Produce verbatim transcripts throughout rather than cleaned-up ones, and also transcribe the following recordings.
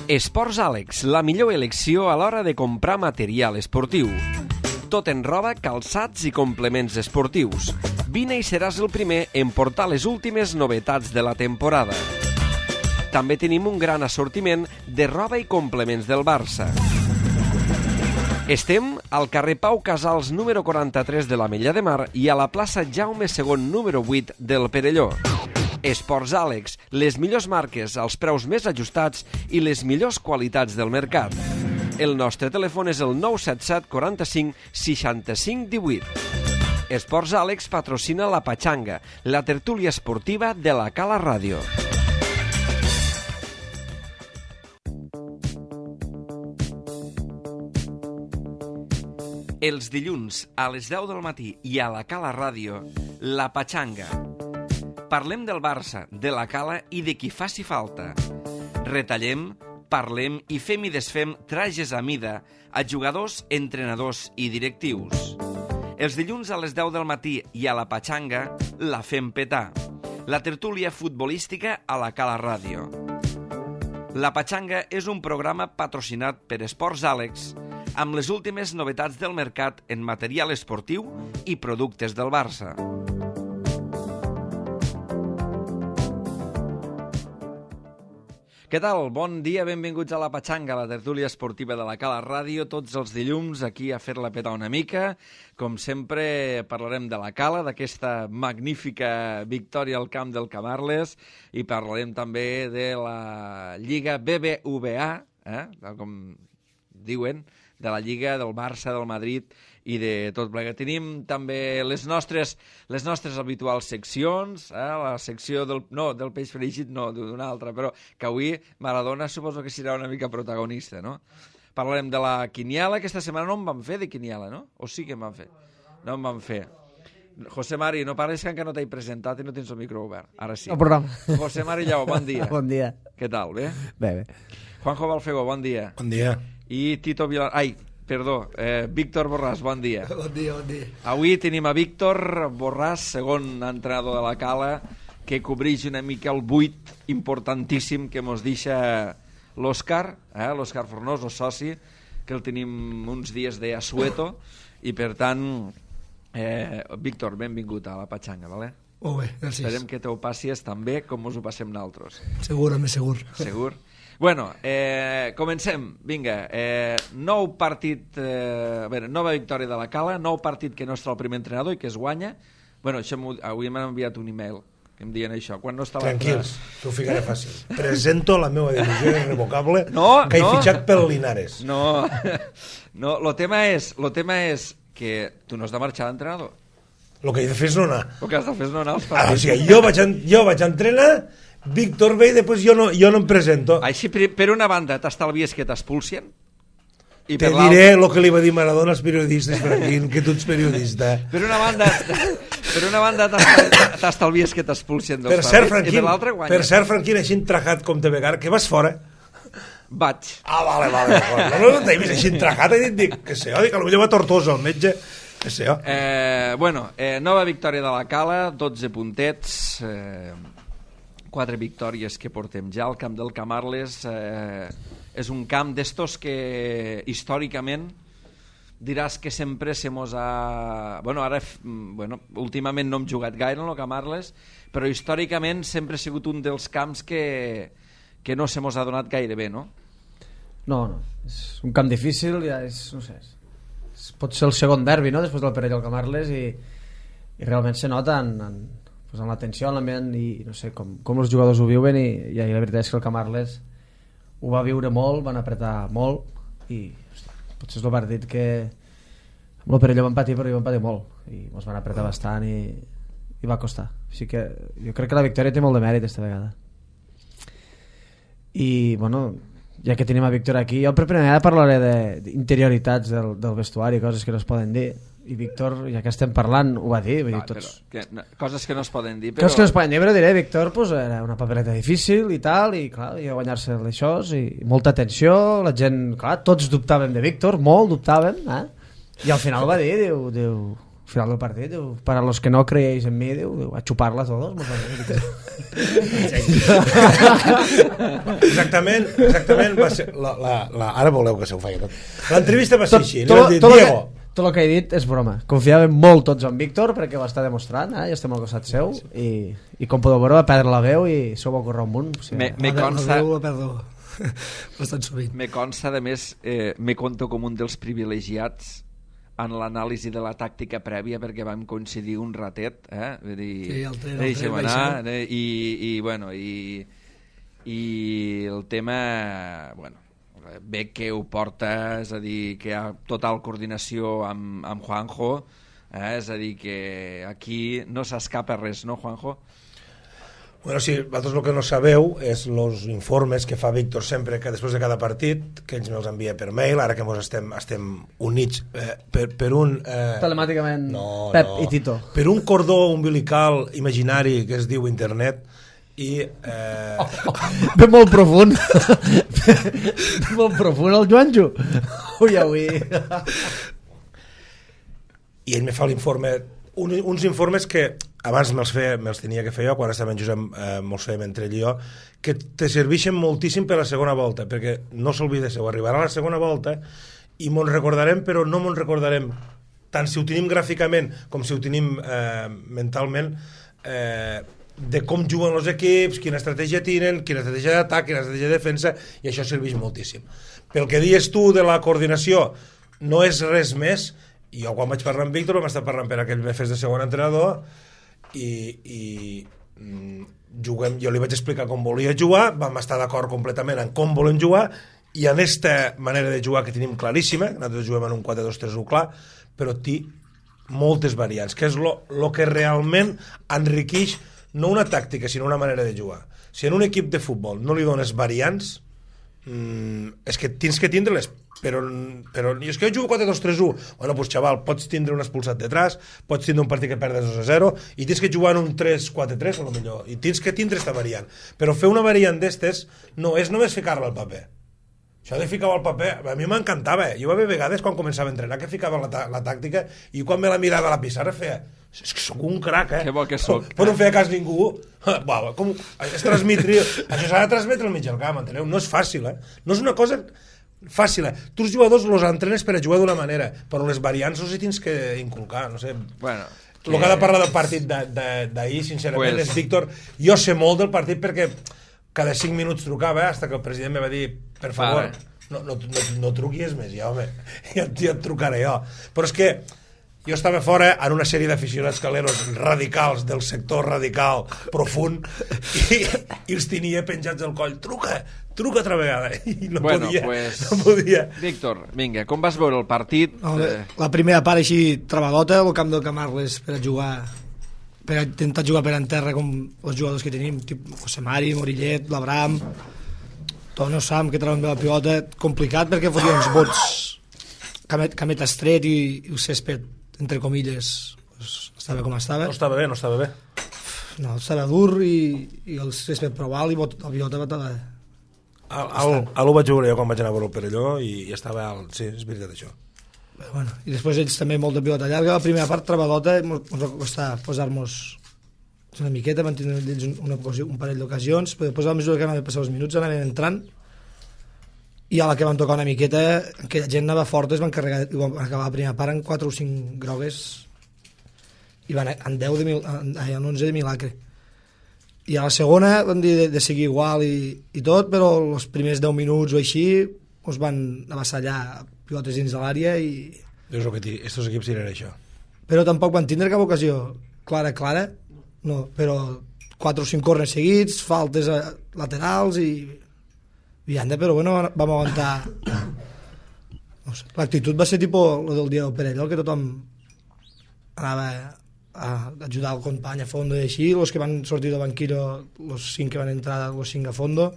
Esports Àlex, la millor elecció a l'hora de comprar material esportiu. Tot en roba, calçats i complements esportius. Vine i seràs el primer en portar les últimes novetats de la temporada. També tenim un gran assortiment de roba i complements del Barça. Estem al carrer Pau Casals número quaranta-tres de l'Ametlla de Mar i a la plaça Jaume segon número vuit del Perelló. Esports Àlex, les millors marques als preus més ajustats i les millors qualitats del mercat. El nostre telèfon és el nou set set quaranta-cinc seixanta-cinc divuit. Esports Àlex patrocina la Patxanga, la tertúlia esportiva de la Cala Ràdio. Els dilluns a les deu del matí i a la Cala Ràdio, la Patxanga. Parlem del Barça, de la Cala i de qui faci falta. Retallem, parlem i fem i desfem trajes a mida a jugadors, entrenadors i directius. Els dilluns a les deu del matí i a la Patxanga la fem petar. La tertúlia futbolística a la Cala Ràdio. La Patxanga és un programa patrocinat per Esports Àlex amb les últimes novetats del mercat en material esportiu i productes del Barça. Què tal? Bon dia, benvinguts a la Patxanga, la tertúlia esportiva de la Cala Ràdio, tots els dilluns aquí a fer-la petar una mica. Com sempre parlarem de la Cala, d'aquesta magnífica victòria al camp del Camarles, i parlarem també de la Lliga B B V A, eh? com diuen, de la Lliga del Barça, del Madrid i de tot plegat. Tenim també les nostres, les nostres habituals seccions, eh? la secció del, no, del peix fregit, no, d'una altra, però que avui Maradona suposo que serà una mica protagonista, no? Parlarem de la quiniela, aquesta setmana no en vam fer de quiniela, no? O sí que en vam fer? No en vam fer. José Mari, no parles que encara no t'he presentat i no tens el micro obert. Ara sí. El programa. José Mari Lleó, bon dia. Bon dia. Què tal, bé? Bé, bé. Juanjo Balfego, bon dia. Bon dia. I Tito Vilar... Ai, perdó, eh, Víctor Borràs, bon dia. Bon dia, bon dia. Avui tenim a Víctor Borràs, segon entrenador de la Cala, que cobreix una mica el buit importantíssim que mos deixa l'Òscar, eh, l'Òscar Fornós, el soci, que el tenim uns dies de Asueto, i per tant, eh, Víctor, benvingut a la Patxanga, vale? Molt bé, gràcies. Esperem que t'ho passis tan bé com us ho passem nosaltres. Segur, a més segur. Segur? Bueno, eh, comencem. Vinga, eh, nou partit, eh, a veure, nova victòria de la Cala, nou partit que no està el primer entrenador i que es guanya. Bueno, això avui m'han enviat un email que em diuen això. Quan no està Tranquils, t'ho ficaré fàcil. Presento la meva divisió irrevocable no, que he no. fitxat pel Linares. No, no, lo tema és, lo tema és que tu no has de marxar d'entrenador. El que he de fer és no anar. El que has de fer és no anar als Ah, partits. o sigui, jo vaig, jo vaig entrenar, Víctor ve i després jo no, jo no em presento. Així, per, per una banda, t'estalvies que t'expulsien. I Te per diré el que li va dir Maradona als periodistes, Franquín, que tu ets periodista. Per una banda, per una banda t'estalvies que t'expulsien dels Per cert, partits, Franquín, i per l'altra guanyes. per cert, Franquín, així entrajat com te vegar, que vas fora. Vaig. Ah, vale, vale. No, no, no t'he vist així entrajat, he dit, dic, que sé, dic, potser va Tortosa, el metge, que sé, oh. Eh, bueno, eh, nova victòria de la Cala, dotze puntets, eh, quatre victòries que portem ja al camp del Camarles. Eh, és un camp d'estos que històricament diràs que sempre se mos ha... Bueno, ara, bueno, últimament no hem jugat gaire en el Camarles, però històricament sempre ha sigut un dels camps que, que no se mos ha donat gaire bé, no? No, no. És un camp difícil, ja és, no sé, és, pot ser el segon derbi, no?, després del Perelló al Camarles, i, i realment se nota en, en, pues en la tensió, en l'ambient, i no sé, com, com els jugadors ho viuen, i, i la veritat és que el Camarles ho va viure molt, van apretar molt, i hosti, potser és el partit que amb el Perelló van patir, però hi van patir molt, i ens van apretar bastant, i, i va costar. Així que jo crec que la victòria té molt de mèrit esta vegada. I, bueno, ja que tenim a Víctor aquí, jo per primera vegada parlaré d'interioritats del, del vestuari, coses que no es poden dir, i Víctor, ja que estem parlant, ho va dir, vull dir, tots... Però, que, no, coses que no es poden dir, però... Coses que no es poden dir, però diré, Víctor, pues, era una papereta difícil i tal, i clar, i a guanyar-se d'això, i molta tensió, la gent, clar, tots dubtàvem de Víctor, molt dubtàvem, eh? I al final va dir, diu, diu al final del partit, diu, para los que no creéis en mí, diu, diu a chuparla todos. exactament, exactament va ser, la, la, la, ara voleu que se ho faci tot. L'entrevista va ser Tot- així, li tot- van dir, tot lo Diego, que- tot el que he dit és broma. Confiàvem molt tots en Víctor perquè ho està demostrant, eh? I estem al costat seu i, i com podeu veure va perdre la veu i s'ho va córrer un munt. O sigui, Me, me La consta... veu la perdo bastant sovint. Me consta, de més, eh, me conto com un dels privilegiats en l'anàlisi de la tàctica prèvia perquè vam coincidir un ratet, eh? Vull dir, Sí, el tren, el deixa'm tren, anar, deixa'm. eh? I, i, bueno, i, i el tema, bueno, bé que ho porta, és a dir, que hi ha total coordinació amb, amb Juanjo, eh? És a dir, que aquí no s'escapa res, no, Juanjo? bueno, sí, vosaltres el que no sabeu és els informes que fa Víctor sempre que després de cada partit, que ells me'ls envia per mail, ara que mos estem, estem units eh, per, per un... Eh, telemàticament no, Pep no, i Tito. per un cordó umbilical imaginari que es diu internet i... Eh, Ve molt profund. Ve molt profund el Joanjo. Ui, ui. i ell me fa l'informe, un, uns informes que abans me'ls, feia, me'ls tenia que fer jo, quan estava en Josep eh, me'ls fèiem entre ell i jo, que te serveixen moltíssim per la segona volta, perquè no s'oblideu, arribarà la segona volta i mos recordarem, però no mos recordarem tant si ho tenim gràficament com si ho tenim eh, mentalment, eh, de com juguen els equips, quina estratègia tenen, quina estratègia d'atac, quina estratègia de defensa, i això serveix moltíssim. Pel que dius tu de la coordinació, no és res més. Jo quan vaig parlar amb Víctor vam estar parlant per aquell me fes de segon entrenador i, i mm, juguem, jo li vaig explicar com volia jugar, vam estar d'acord completament en com volem jugar i en aquesta manera de jugar que tenim claríssima, nosaltres juguem en un quatre dos tres u clar, però té moltes variants, que és el que realment enriqueix no una tàctica sinó una manera de jugar. Si en un equip de futbol no li dones variants, mm, és que tens que tindre-les, però, però és que jo jugo quatre dos tres u, bueno, pues xaval, pots tindre un expulsat detrás, pots tindre un partit que perdes dos a zero i tens que jugar en un tres quatre tres a lo millor, i tens que tindre aquesta variant, però fer una variant d'estes no és només ficar-la al paper. Això de ficar-ho al paper, a mi m'encantava, jo va haver vegades quan començava a entrenar que ficava la, la tàctica i quan me la mirava a la pissarra feia, és que sóc un crac, eh? Que bo que soc. Però no feia cas ningú. Uau, com, és transmetre, això s'ha de transmetre al mig del camp, enteneu? No és fàcil, eh? No és una cosa fàcil, eh? Tu els jugadors els entrenes per a jugar d'una manera, però les variants els hi tens que inculcar, no sé. Bueno, que... El que ha de parlar del partit d'ahir, sincerament, Pues- és Víctor. Jo sé molt del partit perquè cada cinc minuts trucava, eh, fins que el president me va dir, per favor, Para. no, no, no, no truquis més, ja, home, ja, ja et trucaré jo. Però és que jo estava fora en una sèrie d'aficionats caleros radicals, del sector radical profund, i, i els tenia penjats al coll. Truca, truca altra vegada. I no bueno, podia, pues, no podia. Víctor, vinga, com vas veure el partit? No, Eh, la primera part així trebadota al camp del Camarles per a jugar, per a intentar jugar per en terra com els jugadors que tenim, tipus José Mari, Morillet, l'Abram, Tono, Sam, que treuen bé la pilota, complicat perquè fotia uns bots camet, camet estret i, i el césped entre comilles pues, estava com estava No estava bé, no estava bé. no, estava dur i, i el césped prou alt i bot, la pilota batava Al, al, a l'ho vaig veure jo quan vaig anar a veure el Perelló i, i estava alt, sí, és veritat això. Però, bueno, i després ells també molt de pilota llarga, la primera part trebadota ens va costar posar-nos una miqueta, van tenir ells un, una, un parell d'ocasions, però després a la mesura que anaven passar els minuts anaven entrant i a la que van tocar una miqueta aquella gent anava forta, es van carregar i van acabar la primera part en quatre o cinc grogues i van en deu de mil, en, en onze de milagre i a la segona van dir de, de seguir igual i, i tot, però els primers deu minuts o així ens van avassallar pilotes dins de l'àrea i... És el que ti, estos equips tiren això. Però tampoc van tindre cap ocasió clara, clara, no, però quatre o cinc corners seguits, faltes a, laterals i vianda, però bueno, vam aguantar. No sé, l'actitud va ser tipus lo del dia del Perelló, que tothom anava a ajudar el company a fondo i així, els que van sortir del banquillo, els cinc que van entrar, els cinc a fondo,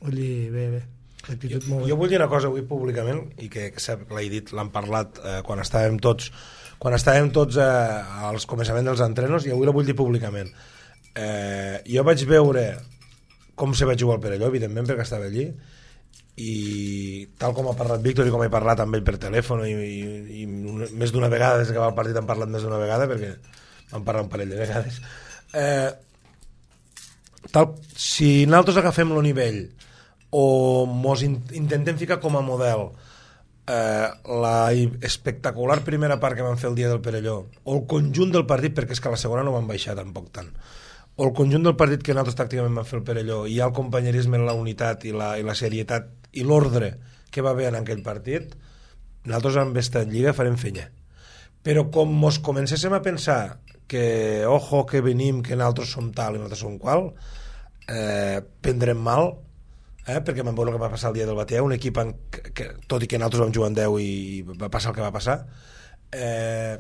vull dir, bé, bé. Jo, jo vull dir una cosa avui públicament i que, que l'he dit, l'han parlat eh, quan estàvem tots quan estàvem tots eh, als començaments dels entrenos i avui la vull dir públicament. Eh, jo vaig veure com se va jugar al Perelló, evidentment, perquè estava allí, i tal com ha parlat Víctor i com he parlat amb ell per telèfon i, i, i una, més d'una vegada des que va el partit hem parlat més d'una vegada perquè vam parlar un parell de vegades eh, tal, si nosaltres agafem el nivell o mos in, intentem ficar com a model eh, la espectacular primera part que vam fer el dia del Perelló o el conjunt del partit, perquè és que a la segona no van baixar tampoc tant, o el conjunt del partit que nosaltres tàcticament vam fer el Perelló i el companyerisme, la unitat i la, i la serietat i l'ordre que va haver en aquell partit, nosaltres amb esta lliga farem fenya. Però com mos comencéssim a pensar que, ojo, que venim, que nosaltres som tal i nosaltres som qual, eh, prendrem mal, eh, perquè vam veure el que va passar el dia del Batea, un equip en, que, que, tot i que nosaltres vam jugar en deu i va passar el que va passar, eh,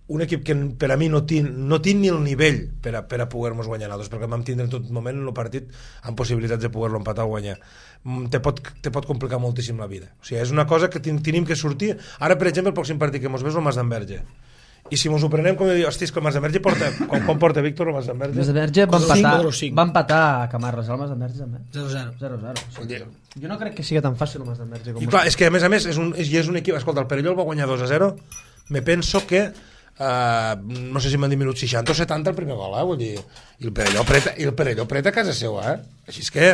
un equip que per a mi no tinc, no tinc ni el nivell per a, per a poder-nos guanyar nosaltres, perquè vam tindre en tot moment en el partit amb possibilitats de poder-lo empatar o guanyar. Te pot, te pot complicar moltíssim la vida. O sigui, és una cosa que tenim que sortir. Ara, per exemple, el pròxim partit que mos ves el Mas d'Enverge. I si mos ho prenem, com de dir, hosti, és que el Mas d'Enverge porta... Com, com porta, Víctor, el Mas d'Enverge? Mas d'Enverge va empatar, va empatar a Camarles, el Mas d'Enverge també. zero zero. zero zero. Jo no crec que sigui tan fàcil el Mas d'Enverge. I clar, és que a més a més és un, és, és un equip... Escolta, el Perelló el va guanyar dos a zero. Me penso que Uh, no sé si m'han dit minut seixanta o setanta el primer gol, eh? Vull dir, i el Perelló preta, i el Perelló preta a casa seva, eh? Així és que,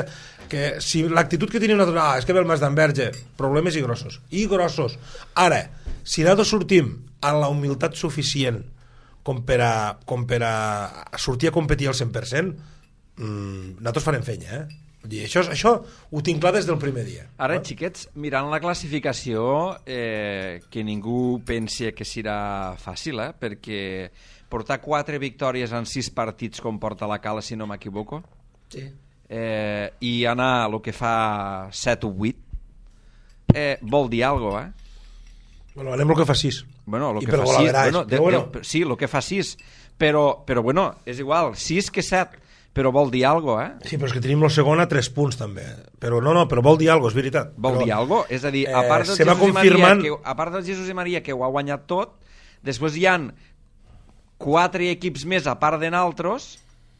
que si l'actitud que tenia una altra, ah, és que ve el Mas d'Enverge, problemes i grossos, i grossos. Ara, si nosaltres sortim amb la humilitat suficient com per a, com per a sortir a competir al cent per cent, mmm, nosaltres farem fenya, eh? Dir, això, això ho tinc clar des del primer dia. Ara, no? Xiquets, mirant la classificació, eh, que ningú pensi que serà fàcil, eh? Perquè portar quatre victòries en sis partits com porta la Cala, si no m'equivoco, sí. eh, i anar el que fa set o vuit, eh, vol dir alguna cosa, eh? Bueno, anem el que fa sis. Bueno, lo I que per fa sis, bueno, de, bueno. de, sí, el que fa sis, però, però bueno, és igual, sis que set, però vol dir alguna cosa, eh? Sí, però és que tenim el segon a tres punts també, però no, no, però vol dir alguna cosa, és veritat. Vol però, dir alguna cosa? És a dir, a part, del eh, Jesús confirmant... i Maria, que, a part del Jesús i Maria que ho ha guanyat tot, després hi han quatre equips més a part de naltros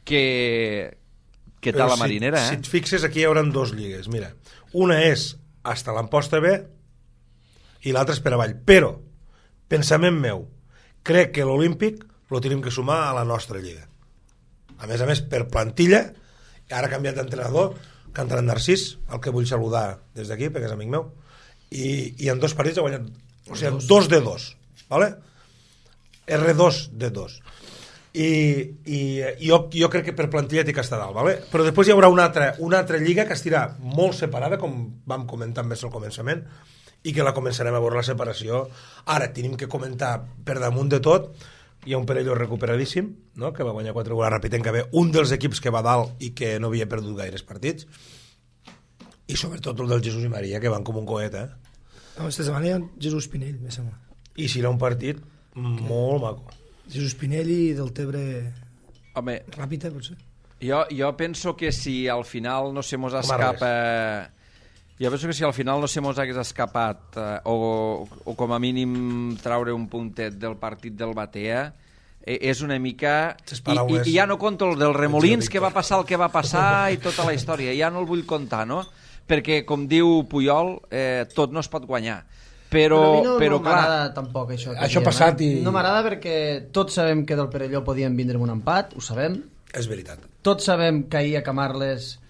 que, que tal la marinera, si, eh? Si et fixes, aquí hi haurà dos lligues, mira, una és hasta l'Amposta B i l'altra és per avall, però pensament meu, crec que l'Olímpic lo tenim que sumar a la nostra lliga. A més a més, per plantilla, ara ha canviat d'entrenador, que ha entrat Narcís, el que vull saludar des d'aquí, perquè és amic meu, i, i en dos partits ha guanyat, o sigui, dos de dos, ¿vale? erre dos de dos. I, i jo, jo crec que per plantilla té que estar dalt, ¿vale? Però després hi haurà una altra, una altra lliga que estirà molt separada, com vam comentar més al començament, i que la començarem a veure la separació. Ara tenim que comentar per damunt de tot. Hi ha un Perelló recuperadíssim, no? Que va guanyar quatre gols ràpid, que ve un dels equips que va dalt i que no havia perdut gaires partits, i sobretot el del Jesús i Maria, que van com un coet, eh? No, esta setmana hi ha Jesús Pinell, me sembla. I serà un partit okay. molt maco. Jesús Pinell i del Tebre. Home, ràpid, potser. Jo, jo penso que si al final no se mos escapa... Jo penso que si al final no se mos hagués escapat eh, o, o com a mínim traure un puntet del partit del Batea, eh, és una mica... I, i, I ja no conto el dels remolins, que va passar el que va passar i tota la història, ja no el vull contar, no? Perquè, com diu Puyol, eh, tot no es pot guanyar. Però, però a mi no, però no clar... m'agrada tampoc això. Això ha passat i... No m'agrada perquè tots sabem que del Perelló podíem vindre amb un empat, ho sabem. És veritat. Tots sabem que ahir a Camarles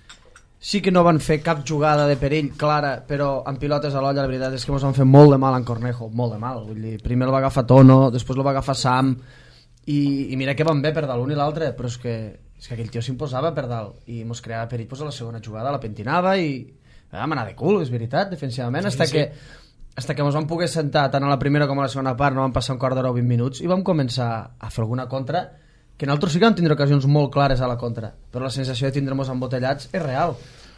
sí que no van fer cap jugada de perill clara, però amb pilotes a l'olla la veritat és que ens van fer molt de mal en Cornejo, molt de mal, vull dir, primer el va agafar Tono, després el va agafar Sam i, i mira que van bé per dalt l'un i l'altre, però és que, és que aquell tio s'imposava per dalt i mos creava perill, pues, a la segona jugada la pentinava i vam anar de cul, és veritat, defensivament, sí, hasta sí. que hasta que ens vam poder sentar tant a la primera com a la segona part, no van passar un quart d'hora o vint minuts i vam començar a fer alguna contra que nosaltres sí que vam tindre ocasions molt clares a la contra, però la sensació de tindre-nos embotellats és real.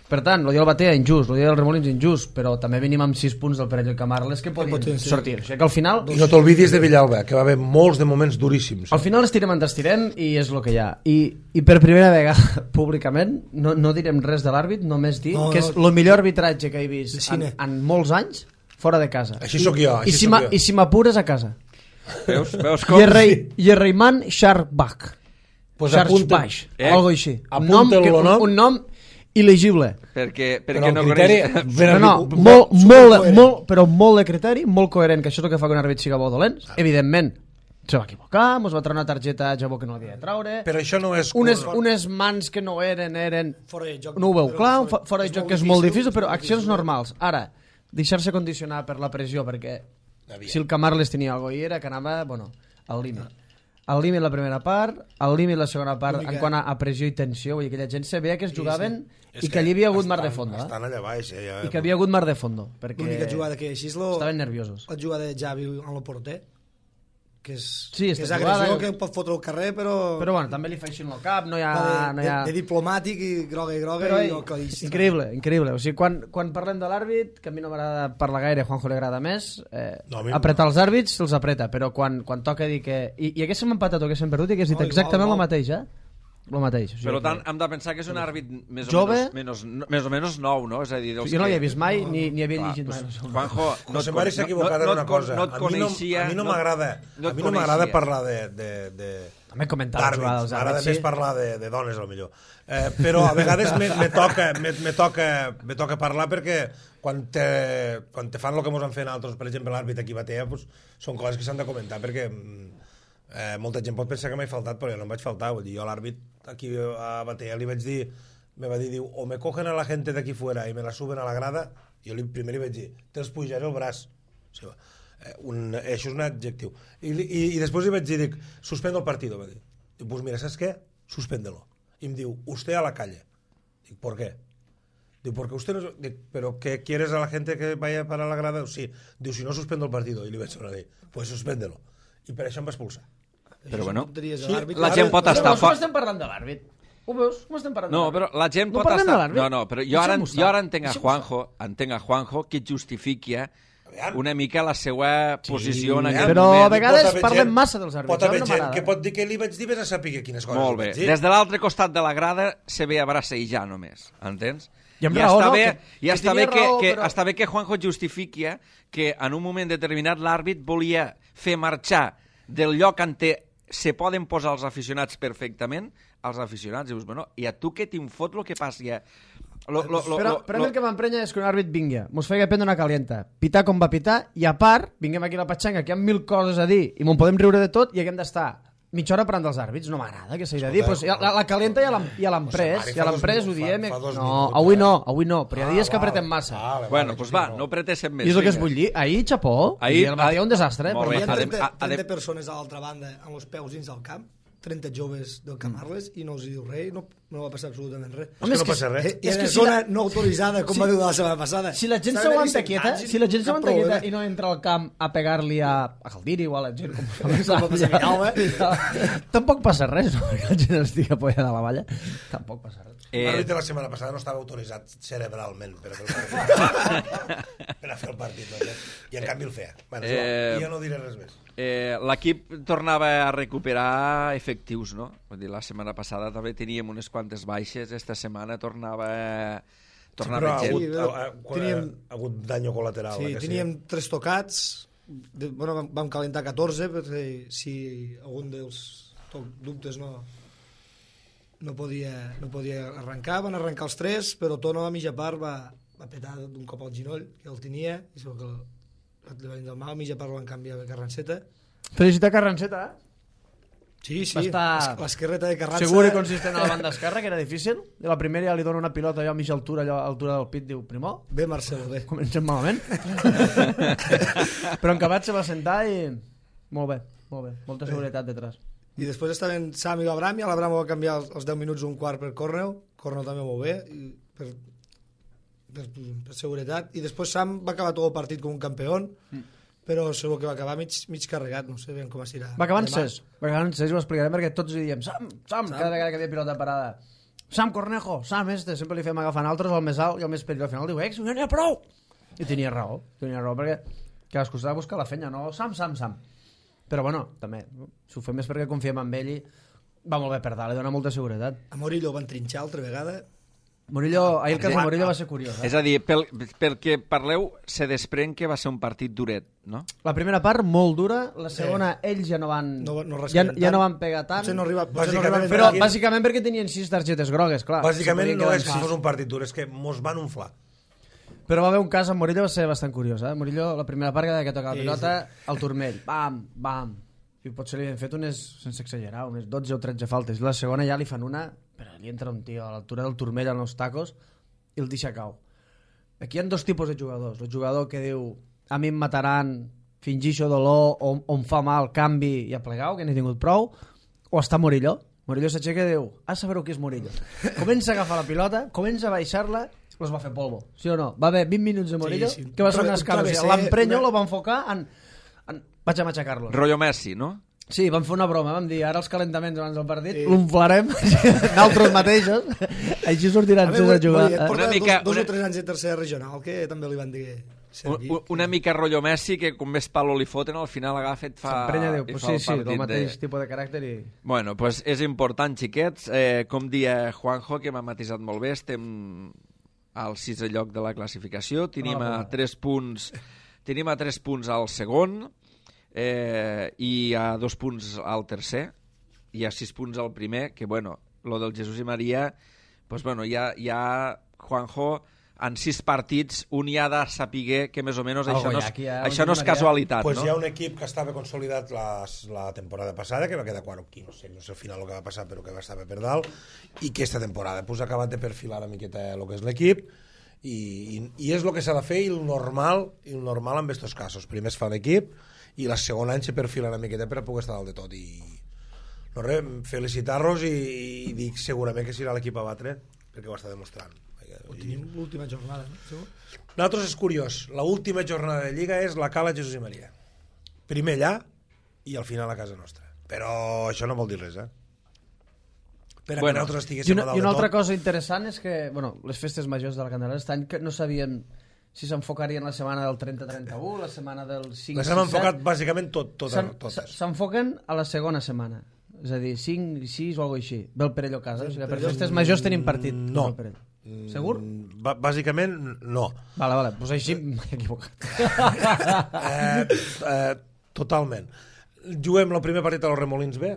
Per tant, el dia del Batea injust, el dia del Remolins injust, però també venim amb sis punts del Perelló i Camarles que podien sortir. O sigui que al final... I no t'olvidis de Villalba, que va haver molts de moments duríssims. Al final estirem en estirem i és el que hi ha. I, i per primera vegada, públicament, no, no direm res de l'àrbit, només dir no, que és el millor arbitratge que he vist en, en molts anys fora de casa. Així sóc jo, així I si sóc jo. I si m'apures a casa. Veus, veus com... Yerreiman Sharbach. Pues Sharbach, eh? algo així. Apunta-lo, un, no? un nom il·legible. Perquè, Però perquè el no criteri... coneix... No, no, Super- molt, molt, supercoherent. molt, però molt de criteri, molt coherent, que això és el que fa que un àrbit siga bo o dolent. Evidentment, se va equivocar, mos va treure una targeta a Jabó que no havia de traure, Però això no és... unes, unes mans que no eren, eren... Fora de joc. No ho veu però clar, un fora- fo- fora de és joc molt que és molt difícil, difícil, però és molt accions difícil. normals. Ara, deixar-se condicionar per la pressió, perquè Aviam. si el Camarles tenia alguna cosa i era que anava, bueno, al límit. Al límit la primera part, al límit la segona part, L'única- en quant a, a pressió i tensió, vull dir que la gent se veia que es Sí, jugaven És i que allí havia hagut estan- mar de fondo, eh? Estan allà baix, eh? Ja, I que havia hagut mar de fondo, perquè L'única jugada que així és lo, estaven nerviosos. la jugada de Javi en el porter, que és, Sí, que esta és agressió jugada- que pot fotre al carrer, però, Però bueno, també li fa així en el cap, no hi ha... de, no hi ha... de, de diplomàtic i groga i groga Però, i ei, el claríssim. increïble, increïble. O sigui, quan, quan parlem de l'àrbit, que a mi no m'agrada parlar gaire, a Juanjo li agrada més, eh, No, a mi- apretar els àrbits, se'ls apreta, però quan, quan toca dir que... I, i haguéssim empatat o haguéssim perdut i hagués dit No, igual, exactament igual. el mateix, eh? El mateix. O sigui, Per que- tant, hem de pensar que és un àrbit més o, Jove. menys, menys, més o menys nou, no? És a dir, dels jo no que... l'havia vist mai, ni, ni havia Clar, llegit pues, mai. No sé. Juanjo, no José et Mari con- s'ha equivocat no- en no una et con- cosa. No et a mi no, coneixia... a mi no no- m'agrada no et a mi no m'agrada coneixia. parlar de, de, de, També comentar la jugada d'àrbits, dels m'agrada àrbits, més sí. parlar de, de dones, al millor. Eh, però a vegades me, me, toca, me, me, toca, me toca parlar perquè quan te, quan te fan el que ens han fet altres, per exemple, l'àrbit aquí a Batea, pues, són coses que s'han de comentar perquè eh, molta gent pot pensar que m'he faltat, però jo no em vaig faltar. Vull dir, jo a l'àrbit aquí a Batea li vaig dir, me va dir, diu, o me cogen a la gente de aquí fuera i me la suben a la grada, jo li, primer li vaig dir, te'ls pujaré el braç. O sigui, eh, un, això és un adjectiu. I, i, i després li vaig dir, dic, suspendo el partido, va dir. Dic, pues mira, saps què? Suspéndelo. I em diu, usted a la calle. Dic, ¿por qué? Diu, porque usted no... Dic, ¿pero qué quieres a la gente que vaya para la grada? Sí. Diu, si no suspendo el partido. I li vaig dir, pues suspéndelo. I per això em va expulsar. Però bueno, Tonteries de sí, l'àrbit. la gent pot Però estar veus com fort. estem parlant de l'àrbit? Ho veus? Com estem parlant No, de però l'àrbit? la gent No pot parlem de estar... l'àrbit? No, no, però jo ara, Deixem-ho estar. jo ara entenc a Deixem-ho Juanjo, entenc a Juanjo que justifiqui Aviam. una mica la seva posició en aquest però moment. a vegades Pot haver parlem gent- massa dels àrbits, Pot a mi haver no gent m'agrada. que pot dir que li vaig dir, vés a saber quines coses Molt li bé. vaig dir. Des de l'altre costat de la grada se ve a bracejar només, entens? I amb ja raó, està no? bé, Que- ja que està tenia bé que, raó, que, però- està bé que Juanjo justifiqui que en un moment determinat l'àrbit volia fer marxar del lloc on te, se poden posar els aficionats perfectament, els aficionats, dius, bueno, i a tu què t'infot el que passi? Eh? Lo, lo, lo, Però, lo, però a mi lo... el que m'emprenya és que un àrbit vingui, mos feia prendre una calienta, pitar com va pitar, i a part, vinguem aquí a la Patxanga, que hi ha mil coses a dir, i m'ho podem riure de tot, i haguem d'estar mitja hora parlant dels àrbits, no m'agrada que s'hagi de dir. Pues, ja, la, la calienta ja l'hem ja l'hem pres, Mari, ja fa l'hem dos pres, ho minuts, diem. fa- fa dos No, minuts, avui eh? no, avui no, però hi ha Ah, dies que vale. apretem massa. Vale, Bueno, vale, doncs sí, va, no. no pretéssim més. I és el que es vinga. vull dir. Ahir, xapó, Ahir- i el Batea un desastre. Molt però bé, Hi ha adem- trenta, adem- trenta persones a l'altra banda amb els peus dins del camp, trenta joves del Camarles, i no els diu res, no, no va passar absolutament res. És que no passa res. Eh, I És en que una si zona la- no autoritzada, com si- va dir la setmana passada. Si la gent Estaven s'aguanta allí quieta, sentats si la gent cap s'aguanta quieta problema. i no entra al camp a pegar-li a, a Caldiri o a la gent com, Com va passar a Villalba. tampoc passa res, no? Que la gent estigui apoyada a la valla. Tampoc passa res. Eh, L'àrbit de la setmana passada no estava autoritzat cerebralment per a fer el partit. per a fer el partit. No? I en canvi el feia. Bueno, Eh, eh, ja no diré res més. Eh, l'equip tornava a recuperar efectius, no? Vull dir, la setmana passada també teníem unes quantes baixes, esta setmana tornava, tornava sí, gent. però ha hagut, Sí, ha, ha, teníem- ha hagut danyo col·lateral. Sí, eh, que teníem tres tocats, de, bueno, vam, vam calentar catorze, perquè si algun dels to- dubtes no, no, podia, no podia arrencar, van arrencar els tres, però Tono a mitja part va, va petar d'un cop al ginoll, que el tenia, i segur que el, li va vindre mal, a mitja part el van canviar a Carranceta. Felicitar Carranceta, eh? Sí, sí, Va estar- l'esquerreta de Carranza... Segur i consistent a la banda esquerra, que era difícil. I la primera ja li dona una pilota allò a mitja altura, allò a altura del pit, diu, Primó, Bé, Marcelo, bé. comencem malament. Però en acabat se va sentar i... Molt bé, molt bé. Molta seguretat detrás. I després estaven Sam i l'Abram, i l'Abram va canviar els, els deu minuts un quart per Cornell, Cornell també molt bé, i per, per, per seguretat, i després Sam va acabar tot el partit com un campió, mm. però segur que va acabar mig, mig carregat, no sé ben com es dirà. Va acabar en Demà. ses. Va acabar en ses, ho explicarem, perquè tots li diem Sam, Sam, cada vegada que havia pilota parada. Sam Cornejo, Sam este, sempre li fem agafant altres, el més alt i el més petit. Al final diu, ex, no n'hi ha prou. I tenia raó, tenia raó, perquè cadascú s'ha de buscar la fenya, no Sam, Sam, Sam. Però bueno, també, si ho fem és perquè confiem en ell i va molt bé per dalt, li dona molta seguretat. A Morillo van trinxar altra vegada, Murillo, ahir el cas de Murillo va ser curiós. Eh? És a dir, pel, pel que parleu, se desprèn que va ser un partit duret, no? La primera part, molt dura. La segona, eh. ells ja no van... No, no ja, ja no van pegar tant. Potser no arriba, Bàsicament, no arriba però aquí... bàsicament perquè tenien sis targetes grogues, clar. Bàsicament no és que fos un partit dur, és que mos van unflar. Però va haver un cas amb Murillo, va ser bastant curiós. Eh? Murillo, la primera part que toca la Sí, pilota, al turmell. Bam, bam. I potser li han fet unes, sense exagerar, unes dotze o tretze faltes. I la segona ja li fan una, però li entra un tio a l'altura del turmell en els tacos i el deixa cau. Aquí hi ha dos tipus de jugadors. El jugador que diu, a mi em mataran, fingixo dolor, o, o em fa mal, canvi i a plegau, que n'he tingut prou, o està Murillo. Murillo s'aixeca i diu, a saber què és Murillo. Comença a agafar la pilota, comença a baixar-la, els va fer polvo, sí o no? Va haver vint minuts de Murillo, sí, sí. Que va ser una escala. L'emprenyo lo van enfocar en... en... Vaig a matxacar-lo. Rollo Messi, no? Sí, vam fer una broma, vam dir, ara els calentaments abans del partit, sí. L'unflarem, nosaltres mateixos, així sortiran tots a jugar. Porta una mica, dos, dos una... o tres anys de tercera regional, que també li van dir... Un, una mica rotllo Messi, que com més palo li foten, al final agafa i et fa, diu, pues sí, fa el sí, partit. el mateix de... tipus de caràcter i... Bueno, pues és important, xiquets. Eh, com dia Juanjo, que m'ha matisat molt bé, estem al sisè lloc de la classificació. Tenim a tres punts, tenim a tres punts al segon, eh, i a dos punts al tercer, i a sis punts al primer, que, bueno, lo del Jesús i Maria, pues, bueno, ja, ja Juanjo... en sis partits, un hi ha de saber que més o menys això no és, ha, això no és casualitat, pues no? Hi ha un equip que estava consolidat la, la temporada passada, que va quedar quart o quinze, no sé, no sé al final el que va passar, però que va estar per dalt, i que aquesta temporada pues, ha acabat de perfilar una miqueta el que és l'equip, i, i, i és el que s'ha de fer, i el normal, i el normal en aquests casos. Primer es fa l'equip, i la segona any se perfila una miqueta per a poder estar dalt de tot, i no res, felicitar-los, i, i dic segurament que serà l'equip a batre, perquè ho està demostrant. Ho tenim l'última jornada, no? Nosaltres és curiós, l'última jornada de Lliga és la Cala Jesús i Maria. Primer allà i al final a casa nostra. Però això no vol dir res, eh? Per a bueno, que nosaltres estiguéssim una, a dalt I una de altra tot. cosa interessant és que, bueno, les festes majors de la Candelera aquest any que no sabíem si s'enfocarien la setmana del trenta trenta u, la setmana del cinc les hem enfocat bàsicament tot, tot, totes. S'enfoquen a la segona setmana. És a dir, cinc i sis o alguna cosa així. Ve el Perelló a casa. O sigui, per festes majors tenim partit. No. Segur? B bàsicament, no. Vale, vale. Pues així m'he equivocat. eh, eh, totalment. Juguem el primer partit a los Remolins B,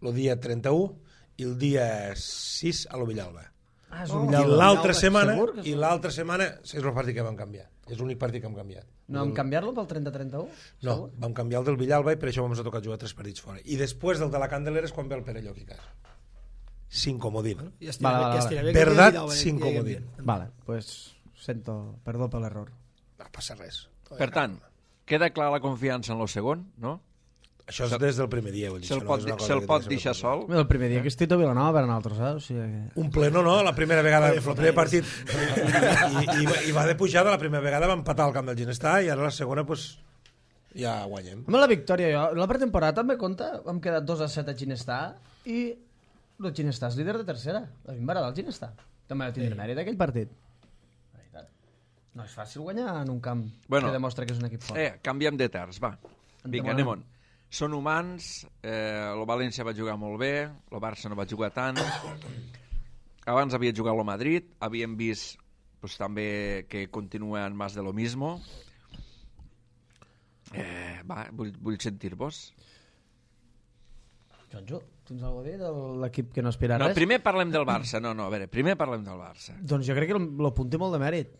el dia trenta-u, i el dia sis a lo Villalba. Ah, és oh. un I l'altra setmana, és i l'altra setmana és el partit que vam canviar. És l'únic partit que hem canviat. No vam canviar-lo pel trenta trenta-u? No, vam canviar el del Villalba i per això vam tocar jugar tres partits fora. I després del de la Candelera és quan ve el Perelló aquí a casa. Sin comodín. Bueno, ja vale, vale, vale. Verdad, sin comodín. Vale, pues sento perdó per l'error. No passa res. Per tant, queda clar la confiança en lo segon, no? Això és des del primer dia. Se'l pot, se pot deixar sol? El primer dia que estic a Vilanova per a nosaltres, eh? O sigui que... Un pleno, no? La primera vegada, el primer partit, i, i, i va de pujada, la primera vegada va empatar al camp del Ginestar i ara la segona, pues, ja guanyem. Amb la victòria, jo, la pretemporada també compta, vam quedar dos a set a Ginestar i el Ginestar és líder de tercera. A mi em va agradar el Ginestar. També va tindre mèrit aquell partit. No és fàcil guanyar en un camp bueno, que demostra que és un equip fort. Eh, canviem de terç, va. Vinga, anem-on. Són humans, eh, el València va jugar molt bé, el Barça no va jugar tant, abans havia jugat el Madrid, havíem vist pues, també que continua en más de lo mismo. Eh, va, vull, vull sentir-vos. Jonjo, tens alguna cosa a dir de l'equip que no aspira a no, res? Primer parlem del Barça, no, no, a veure, primer parlem del Barça. Doncs jo crec que l'apunti molt de mèrit.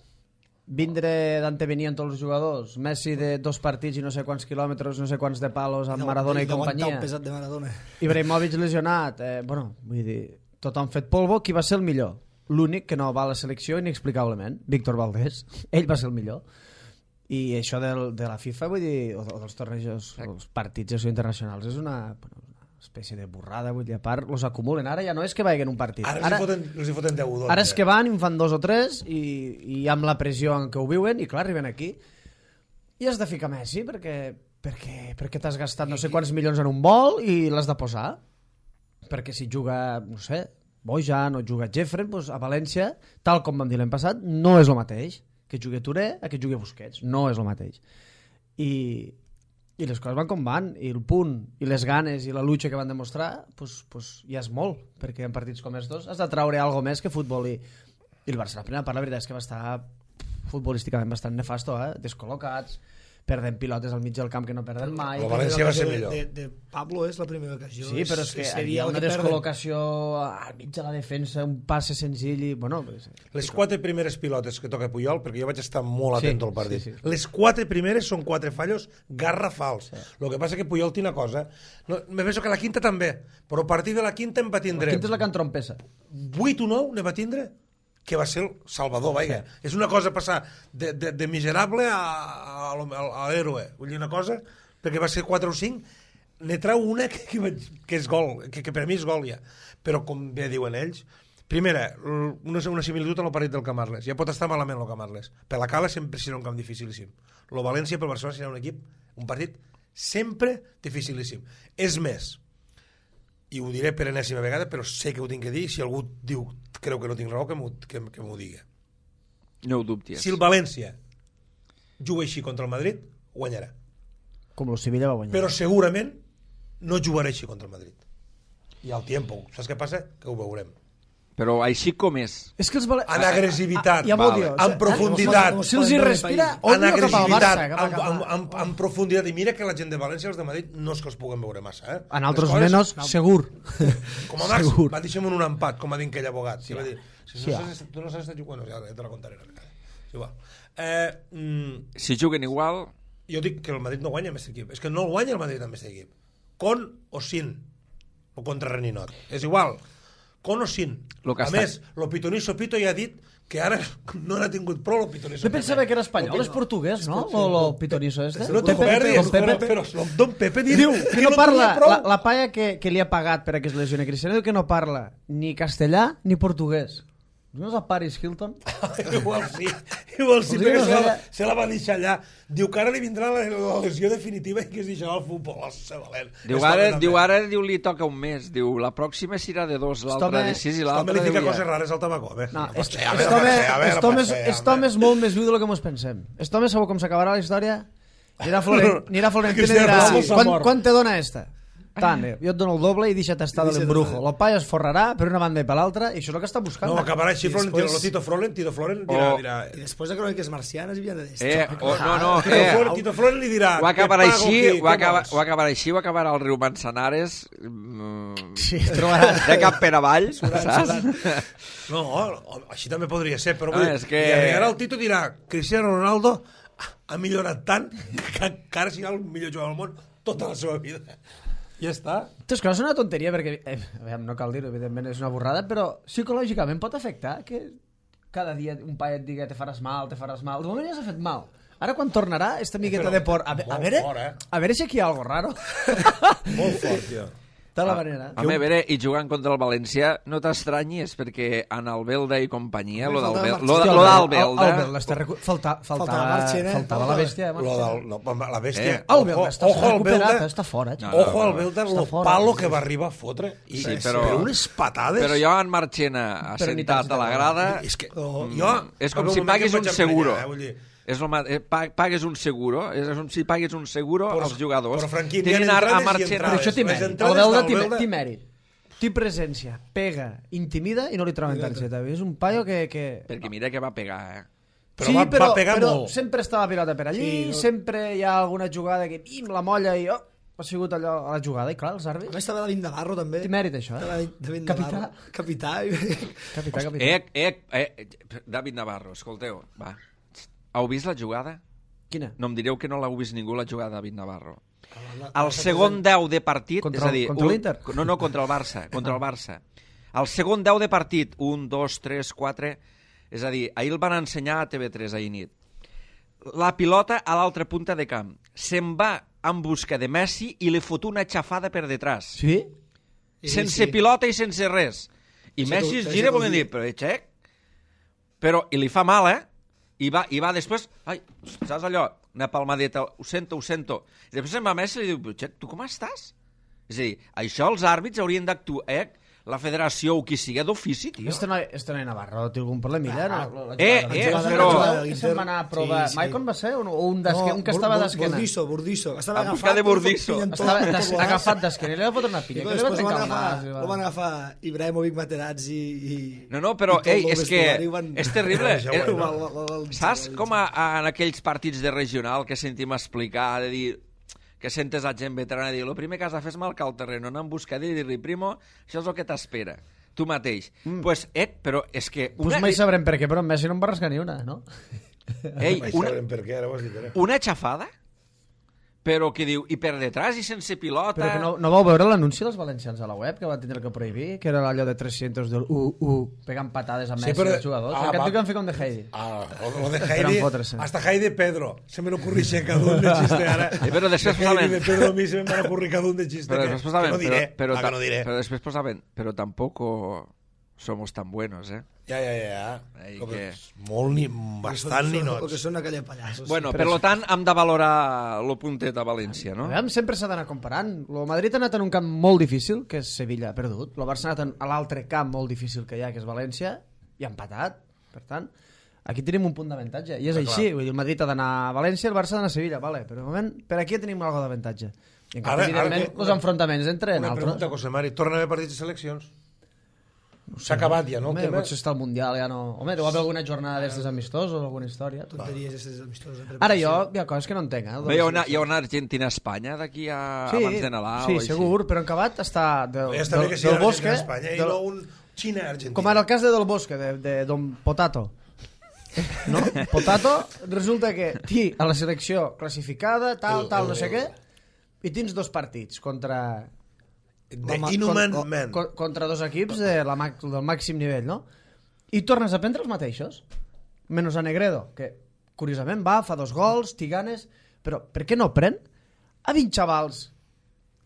Vindre Dante venien tots els jugadors, Messi de dos partits i no sé quants quilòmetres, no sé quants de palos amb Maradona i companyia. El pesat de Maradona. Ibrahimovic lesionat, eh, bueno, vull dir, tothom fet polvo, qui va ser el millor? L'únic que no va a la selecció inexplicablement, Víctor Valdés, ell va ser el millor. I això del, de la FIFA, vull dir, o, o dels tornejos, els partits internacionals, és una... Bueno, espècie de burrada, vull dir, a part, els acumulen. Ara ja no és que vagin un partit. Ara, ara, foten, els hi foten deu o dotze. Ara és que van i en fan dos o tres i, i amb la pressió en què ho viuen, i clar, arriben aquí i has de ficar Messi perquè, perquè, perquè t'has gastat no sé quants milions en un vol i l'has de posar. Perquè si juga, no sé, Bojan o juga Jeffrey, doncs a València, tal com vam dir l'any passat, no és el mateix. Que jugui Touré a que jugui Busquets. No és el mateix. I... I les coses van com van, i el punt, i les ganes, i la lucha que van demostrar, pues, pues ja és molt, perquè en partits com els dos has de traure alguna més que futbol, i, i el Barça, la primera part, la veritat és que va estar futbolísticament bastant nefasto, eh? Descol·locats, perden pilotes al mig del camp que no perden mai. El València va ser millor. De, de Pablo és la primera ocasió. Sí, però és que hi havia una descol·locació al mig de la defensa, un passe senzill i... Bueno, pues, les quatre primeres pilotes que toca Puyol, perquè jo vaig estar molt atent sí, al partit, sí, sí. les quatre primeres són quatre fallos garrafals. Sí. Lo que passa que Puyol té una cosa, no, me penso que la quinta també, però a partir de la quinta en va tindre... La quinta és la que entrompessa. vuit o nou ne va tindre que va ser el salvador, vaja. Sí. És una cosa passar de, de, de miserable a, a, a, a l'héroe. Vull dir una cosa, perquè va ser quatre o cinc, ne trau una que, que, que és gol, que, que per mi és gol ja. Però com bé diuen ells, primera, una, una similitud amb el partit del Camarles. Ja pot estar malament el Camarles. Per la Cala sempre serà un camp dificilíssim. El València pel Barcelona serà un equip, un partit sempre dificilíssim. És més, i ho diré per enèsima vegada, però sé que ho tinc que dir, si algú diu, creu que no tinc raó, que m'ho que, que digui. No ho dubtis. Si el València juga així contra el Madrid, guanyarà. Com el Sevilla va guanyar. Però segurament no jugarà així contra el Madrid. I al tiempo, saps què passa? Que ho veurem. Però així com és. És que els vale... En agressivitat, ah, ah, vale. En profunditat. Si els hi respira, en agressivitat, Barça, en, en, en, en profunditat. I mira que la gent de València i els de Madrid no és que els puguem veure massa. Eh? En altres coses, menos, no. Segur. Com a màxim, va deixar-me un empat, com ha dit aquell abogat. Sí, va dir, si no sí, saps, tu no saps estar jugant, ja te la contaré. Sí, eh, mm, si juguen igual... Jo dic que el Madrid no guanya amb aquest equip. És que no el guanya el Madrid amb aquest equip. Con o sin. O contra Reninot. És igual. Con o sin. A està... més, lo pitoniso Pito ja ha dit que ara no n'ha tingut prou lo pitoniso. Jo pensava que era espanyol, és portuguès, no? O lo pitoniso este. No te'n perdis, però Don Pepe diu que no parla, la, la palla que, que li ha pagat per a que es lesioni Cristiano diu que no parla ni castellà ni portuguès. No és a Paris Hilton? Igual sí, igual sí, perquè se la, se la va deixar allà. Diu que ara li vindrà la, la lesió definitiva i que es deixarà el futbol. Diu ara, diu ara diu, li toca un mes. Diu, la pròxima serà de dos, l'altra de sis i l'altra de vuit. Li fica coses rares al tabaco. No, Estom és molt més viu del que ens pensem. Estom segur com s'acabarà la història. Anirà Florentino i dirà, quan te dona esta? Tant, eh? Jo et dono el doble i deixa't estar de l'embrujo. El paio es forrarà per una banda i per l'altra i això és el que està buscant. No, acabarà així, després... Tito Floren, Tito Floren dirà, oh. dirà... I després de cròniques marcianes havia de dir... Eh, oh, no, no, Tito, eh. Floren, Tito Floren li dirà... Ho acabarà així, ho acabarà, ho acabarà així, ho acabarà al riu Manzanares, mm, sí, trobarà... de cap per avall, saps? No, així també podria ser, però no, vull dir, que... i ara el Tito dirà, Cristiano Ronaldo ha millorat tant que encara serà el millor jugador del món tota la seva vida. Ja està. És que no és una tonteria perquè, eh, veiem, no cal dir-ho, evidentment és una borrada, però psicològicament pot afectar que cada dia un paio et digui te faràs mal, te faràs mal. De moment ja s'ha fet mal. Ara quan tornarà esta miqueta però, de por, a, a, veure, fort, eh? a veure si aquí hi ha algo raro. Molt fort, tio. De la manera. A, a mi, a veure, i jugant contra el València, no t'estranyis, perquè en Albelda i companyia, lo d'Albelda... Faltava faltava la bèstia. Lo del, no, la bèstia... Eh, Albelda està recuperat, està fora. Ojo al Belda, el palo que va arribar a fotre. I, sí, però, però unes patades... Però jo en Marchena, assentat a la grada... És que jo... És com si paguis un seguro. És el, pagues un seguro, és com si pagues un seguro però, als jugadors. Però, Franquín, hi ha entrades i Però això té mèrit. El Belda té mèrit. Té presència, pega, intimida i no li troben targeta. És un paio que... que... Perquè mira que va pegar, eh? Però sí, va, però, va pegar però molt. Sempre està la pilota per allí, sí, no? Sempre hi ha alguna jugada que pim, la molla i... Oh, ha sigut allò a la jugada, i clar, els àrbits... A més estava David Navarro, també. Té mèrit, això, eh? David capità. Capità. Capità, capità. Ec, ec, ec, David Navarro, escolteu, va. Heu vist la jugada? Quina? No em direu que no l'heu vist ningú, la jugada de David Navarro. El segon deu de partit... Contra, és a dir, contra un, l'Inter? No, no, contra el Barça. Contra el Barça. El segon deu de partit, un, dos, tres, quatre... És a dir, ahir el van ensenyar a T V tres ahir nit. La pilota a l'altra punta de camp. Se'n va en busca de Messi i li fot una xafada per detrás. Sí? Sense sí. pilota i sense res. I això Messi es gira volent dir, però xec... Però, i li fa mal, eh? I va, i va després, ai, saps allò, una palmadeta, ho sento, ho sento. I després se'n va Messi i li diu, Xec, tu com estàs? És a dir, això els àrbits haurien d'actuar, eh? la federació o qui sigui d'ofici, tio. Este noi, este noi Navarro té algun problemilla, no? La, la, Eh, la, eh, la, però- la, se'n va anar a provar... Sí, sí. Maicon va ser? O un, d'esquena, un que estava d'esquena? Burdisso, Burdisso. Estava En busca de Burdisso. Estava des, agafat d'esquena i li va fotre una I pinya. Que li va després ho van trencar el nas. agafar, i va- ho van agafar Ibrahimovic, Materazzi i... No, no, però, i tot ei, el és que vestuari van- és terrible. Ja ho Eh, veig, no? Va- va- va- va- Saps com a, a, en aquells partits de regional que sentim explicar, de dir que sentes a gent veterana dir el primer que has de fer és marcar el terreno, anar en busca d'ell i dir-li, primo, això és el que t'espera, tu mateix. Mm. Pues, eh, però és que... Pues mai sabrem per què, però en Messi no en va rascar ni una, no? Ei, Mai una, sabrem per què, ara ho has dit, ara. una xafada, però que diu, i per detrás i sense pilota... Però que no, no vau veure l'anunci dels valencians a la web, que van tindre que prohibir, que era allò de tres-cents del u u, pegant patades a Messi Sí, però- als jugadors. Ah, Ah, Aquest va. tio que han fet com de Heidi. Ah, lo de Per Heidi, enfotre's. hasta Heidi Pedro. Se me n'ocurrixe cada un de xiste ara. Eh, però després de posaven- Heidi de Pedro a mi se me van ocurrir cada un de xiste. Però que, després posaven, que no diré, però, ah, però, que no diré. però després posaven, però tampoco somos tan buenos, eh? Ja, ja, ja. Ai, Com que- és Molt ni... Bastant ni O que nots. són aquella pallassos. Bueno, per lo tant, hem de valorar lo puntet a València, no? A veure, sempre s'ha d'anar comparant. El Madrid ha anat en un camp molt difícil, que és Sevilla, ha perdut. El Barça ha anat en- a l'altre camp molt difícil que hi ha, que és València, i ha empatat. Per tant, aquí tenim un punt d'avantatge. I és Ah, així. clar. Vull dir, el Madrid ha d'anar a València, el Barça ha d'anar a Sevilla. Vale, però de moment, per aquí tenim alguna d'avantatge. I en canvi, Ara- ara evidentment, que- els enfrontaments entre Una altres... pregunta, José Mari. Torna a haver partits de seleccions? S'ha acabat ja, no? Home, El tema? potser està al Mundial, ja no... Home, deu haver alguna jornada d'estes amistosos o alguna història. Tonteries aquestes amistoses. de Ara preparació. jo, hi ha coses que no entenc, eh? Bé, hi ha una, hi ha una Argentina-Espanya d'aquí a, Sí, abans de Nadal sí, o així. segur, però en acabat està del, Ja està del, bé que sigui del Bosque, Argentina, Espanya, i del, no un Xina-Argentina. com ara el cas de Del Bosque, de, de Don Potato. No? Potato, resulta que ti a la selecció classificada, tal, El- tal, el- no sé el- què, i tens dos partits contra... The Home, Inhuman con- Man. con- contra dos equips de la, mac- del màxim nivell, no? I tornes a prendre els mateixos. Menys a Negredo, que curiosament va, fa dos gols, té ganes, però per què no pren a vint xavals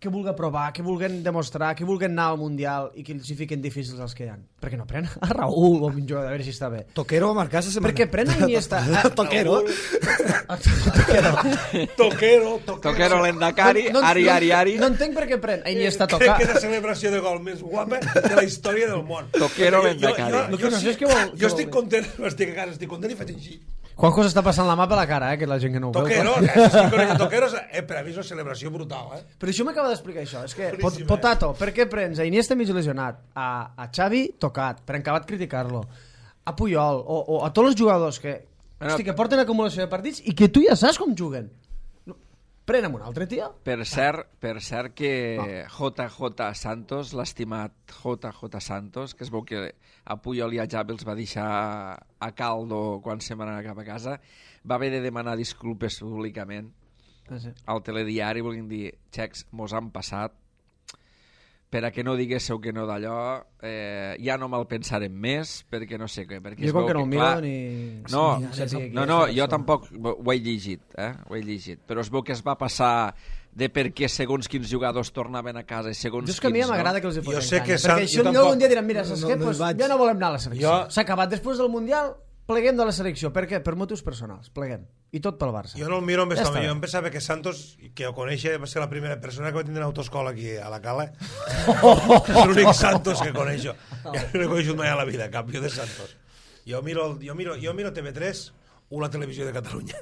que vulguen provar, que vulguen demostrar, que vulguen anar al Mundial i que els hi fiquen difícils els que hi ha? Per què no pren a Raúl o a un jugador, a veure si està bé? Toquero va marcar esta setmana. Perquè pren a Iniesta. A, Toquero. Toquero. Toquero, toquero. Toquero l'endacari, No- no- ari, ari, ari. No entenc per què pren a Iniesta a Crec tocar. que és la celebració de gol més guapa de la història del món. Toquero Jo- jo- l'endacari. jo- No, Jo, no sé sí- què vol- què jo vol estic dir. content, estic a casa, estic content i faig així. Juanjo s'està passant la mà per la cara, eh, que la gent que no ho Toquero, veu. és que conec Toquero, eh, per a mi és una celebració brutal, eh? Però això m'acaba d'explicar això. És que, pot, Boníssim, eh? Potato, per què prens a Iniesta mig lesionat, a, a Xavi tocat, per acabat criticar-lo, a Puyol, o, o a tots els jugadors que, Bueno, hosti, que porten acumulació de partits i que tu ja saps com juguen? No, pren amb un altre, tio. Per cert, per cert que J J Santos, l'estimat J J Santos, que es veu que a Puyol i a Xavi els va deixar a caldo quan se'n van anar cap a casa, va haver de demanar disculpes públicament Ah, sí. al telediari, volguin dir, xecs, mos han passat, per a que no diguéssiu que no d'allò, eh, ja no me'l pensarem més, perquè no sé què. Perquè es Jo com veu que no el miro clar, ni... No, ni sàpiga qui no, és no, la jo persona. tampoc ho he llegit, eh? Ho he llegit. Però es veu que es va passar de per què segons quins jugadors tornaven a casa i segons Jo és que a mi quins, ja m'agrada no? que els hi Jo foten sé canya, que perquè Sant- així jo potser tampoc- un dia diran, mira, saps no, què? no hi Pues vaig. ja no volem anar a la selecció. Jo- S'ha acabat. Després del Mundial, pleguem de la selecció. Per què? Per motius personals. Pleguem. I tot pel Barça. Jo no el miro amb Ja esta, està. jo em pensava que Santos, que ho conèixer, va ser la primera persona que va tindre autoescola aquí a la Cala. És l'únic Santos que coneixo. Ja no he coneixut mai a la vida, cap jo de Santos. Jo miro, el- jo miro, jo miro T V tres o la televisió de Catalunya,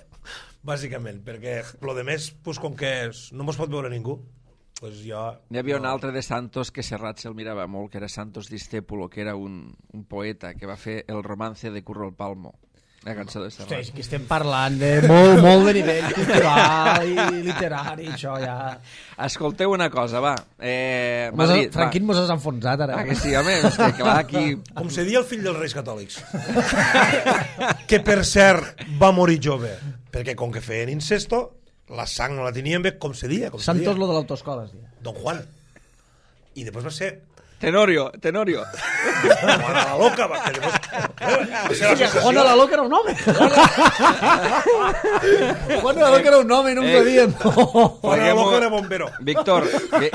bàsicament, perquè lo de més, pues, com que és, no mos pot veure ningú, pues jo... N'hi havia un no. altre de Santos que Serrat se'l mirava molt, que era Santos Discépulo, que era un, un poeta que va fer el romance de Curro el Palmo. La cançó de Serrat. Hosti, aquí estem parlant de molt, molt de nivell cultural i literari, això ja... Escolteu una cosa, va. Eh, Mos ha, Madrid, Franquín va. mos has enfonsat, ara. Ah, que sí, home, és que, que va aquí... Com se dia el fill dels Reis Catòlics. Que, per cert, va morir jove. Perquè com que feien incesto, la sang no la tenien bé, com se dia. Com se Santos dia. lo de l'autoescola, es dia. Don Juan. I després va ser Tenorio, Tenorio. Juan a la loca, va, que després... Eh, va ser l'associació. Juan a la Loca era un home. Juan a la Loca era un home i no Eh. ens ho diem. Juan a la Pleguem-ho. loca era bombero. Víctor, vi,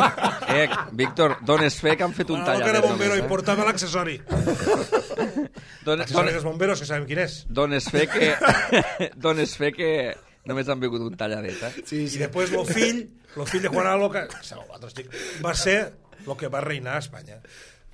eh, Víctor, dones fe que han fet un Juan a la loca talladet. era bombero només, i portava l'accessori. Dones, L'accessori dones, dels bomberos, que sabem quin és. dones fe que... dones fe que només han vingut un talladet, eh? Sí, sí. I després el fill, el fill de Juan a la loca, va ser el que va reinar a Espanya.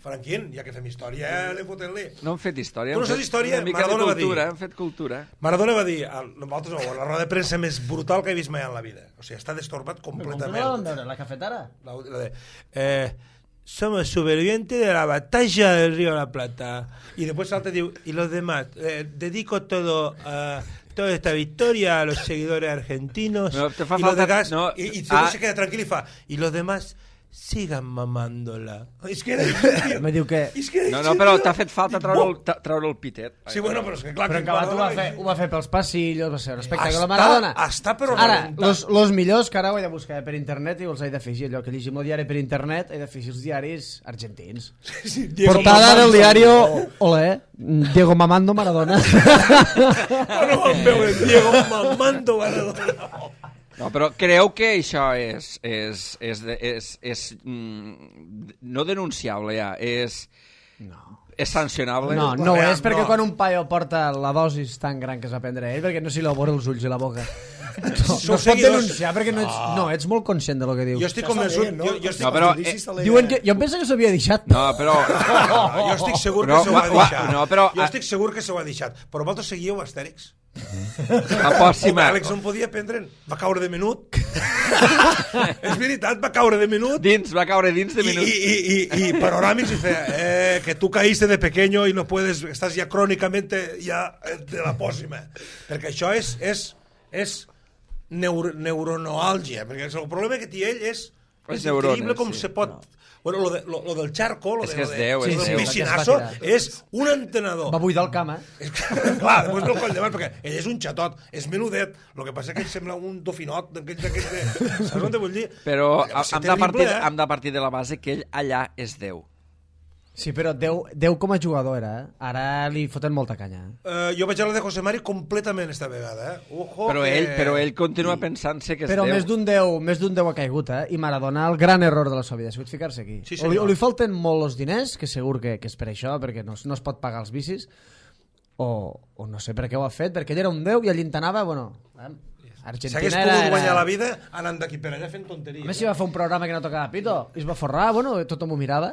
Franquín, ja que fem història, eh, anem fotent-li. No hem fet història. Tu no hem saps fet història? Una mica Maradona de va dir. cultura, hem fet cultura. Maradona va dir, al- nosaltres no, la roda de premsa més brutal que he vist mai en la vida. O sigui, està destorbat Com que no completament. la vam veure, la cafetara? La, la de, eh, somos supervivientes de la batalla del Río de la Plata. Y después salta y dice, y los demás, eh, dedico todo a toda esta victoria a los seguidores argentinos. No, te fa y los falta- demás, no, y, y ah. se queda tranquilo y fa, y los demás sigan mamándola. És que era... Me diu que... És que No, no, però t'ha fet falta treure el, ta- treure el pitet. Sí, bueno, però és que clar... Però que en acabat ho va, Maradona- fer, ho va fer pels passillos, va ser un espectacle. Està- Maradona. està però Ara, rebentat. los, los millors, que ara ho he de buscar per internet i els he d'afegir. Allò que llegim el diari per internet, he d'afegir els diaris argentins. Sí, Diego Portada Mamando. del diario... Olé, Diego Mamando Maradona. No vam veure Diego mamando Maradona. No, però creu que això és, és, és, de- és, és mm, no denunciable ja, és, No. és sancionable? No, no ho Aviam, és perquè no. quan un paio porta la dosis tan gran que es va prendre ell, perquè no s'hi la veure els ulls i la boca. No, no Sou es pot seguidors. denunciar perquè no ets, no, ets molt conscient de lo que dius. Jo estic Ja està convençut... bé, no? Jo, jo estic, No, però, Els judicis eh, s'al·leguen. Diuen que, jo em penso que s'havia deixat. No, però... no, jo estic segur No, que s'ho ha ua, ua, deixat. no, però- Jo estic segur que s'ho ha deixat. Però vosaltres seguíeu Astèrix? La pròxima... Àlex on podia prendre'n. Va caure de menut. És veritat, va caure de menut. Dins, va caure dins de Y, minut. y, y, y, y Panorámix dice eh, que tú caíste de pequeño y no puedes, estás ya crónicamente ya eh, de la pòssima. Perquè això és, és, és neuro, neuronoàlgia, perquè el problema que té ell és, Les és neurones, increïble com sí. se pot... Bueno, lo, de, lo, lo del charco, lo, És de, que lo, és de, Déu, lo és del Déu. piscinazo, Que es va tirar. és un entenedor. Va buidar el camp, eh? És que, clar, després del coll de mar, perquè ell és un xatot, és menudet, el que passa és que ell sembla un dofinot d'aquells, d'aquells de... Saps on te vull dir? Però Va ser hem de, partir, terrible, eh? hem de partir de la base que ell allà és Déu. Sí, però Déu, Déu com a jugador era, eh? Ara li foten molta canya. Uh, jo vaig a la de José Mari completament esta vegada, eh? Ojo Però que... ell, però ell continua pensant-se que és Però Déu. més d'un Déu, més d'un Déu ha caigut, eh? I Maradona, el gran error de la seva vida ha sigut ficar-se aquí. Sí, o, li, senyor. o li falten molt els diners, que segur que, que és per això, perquè no, no es pot pagar els vicis, o, o no sé per què ho ha fet, perquè ell era un Déu i allí anava, bueno... Eh? Argentina S'hagués era, pogut era... guanyar la vida anant d'aquí per allà fent tonteries. A més, si va fer un programa que no tocava pito, i es va forrar, bueno, tothom ho mirava,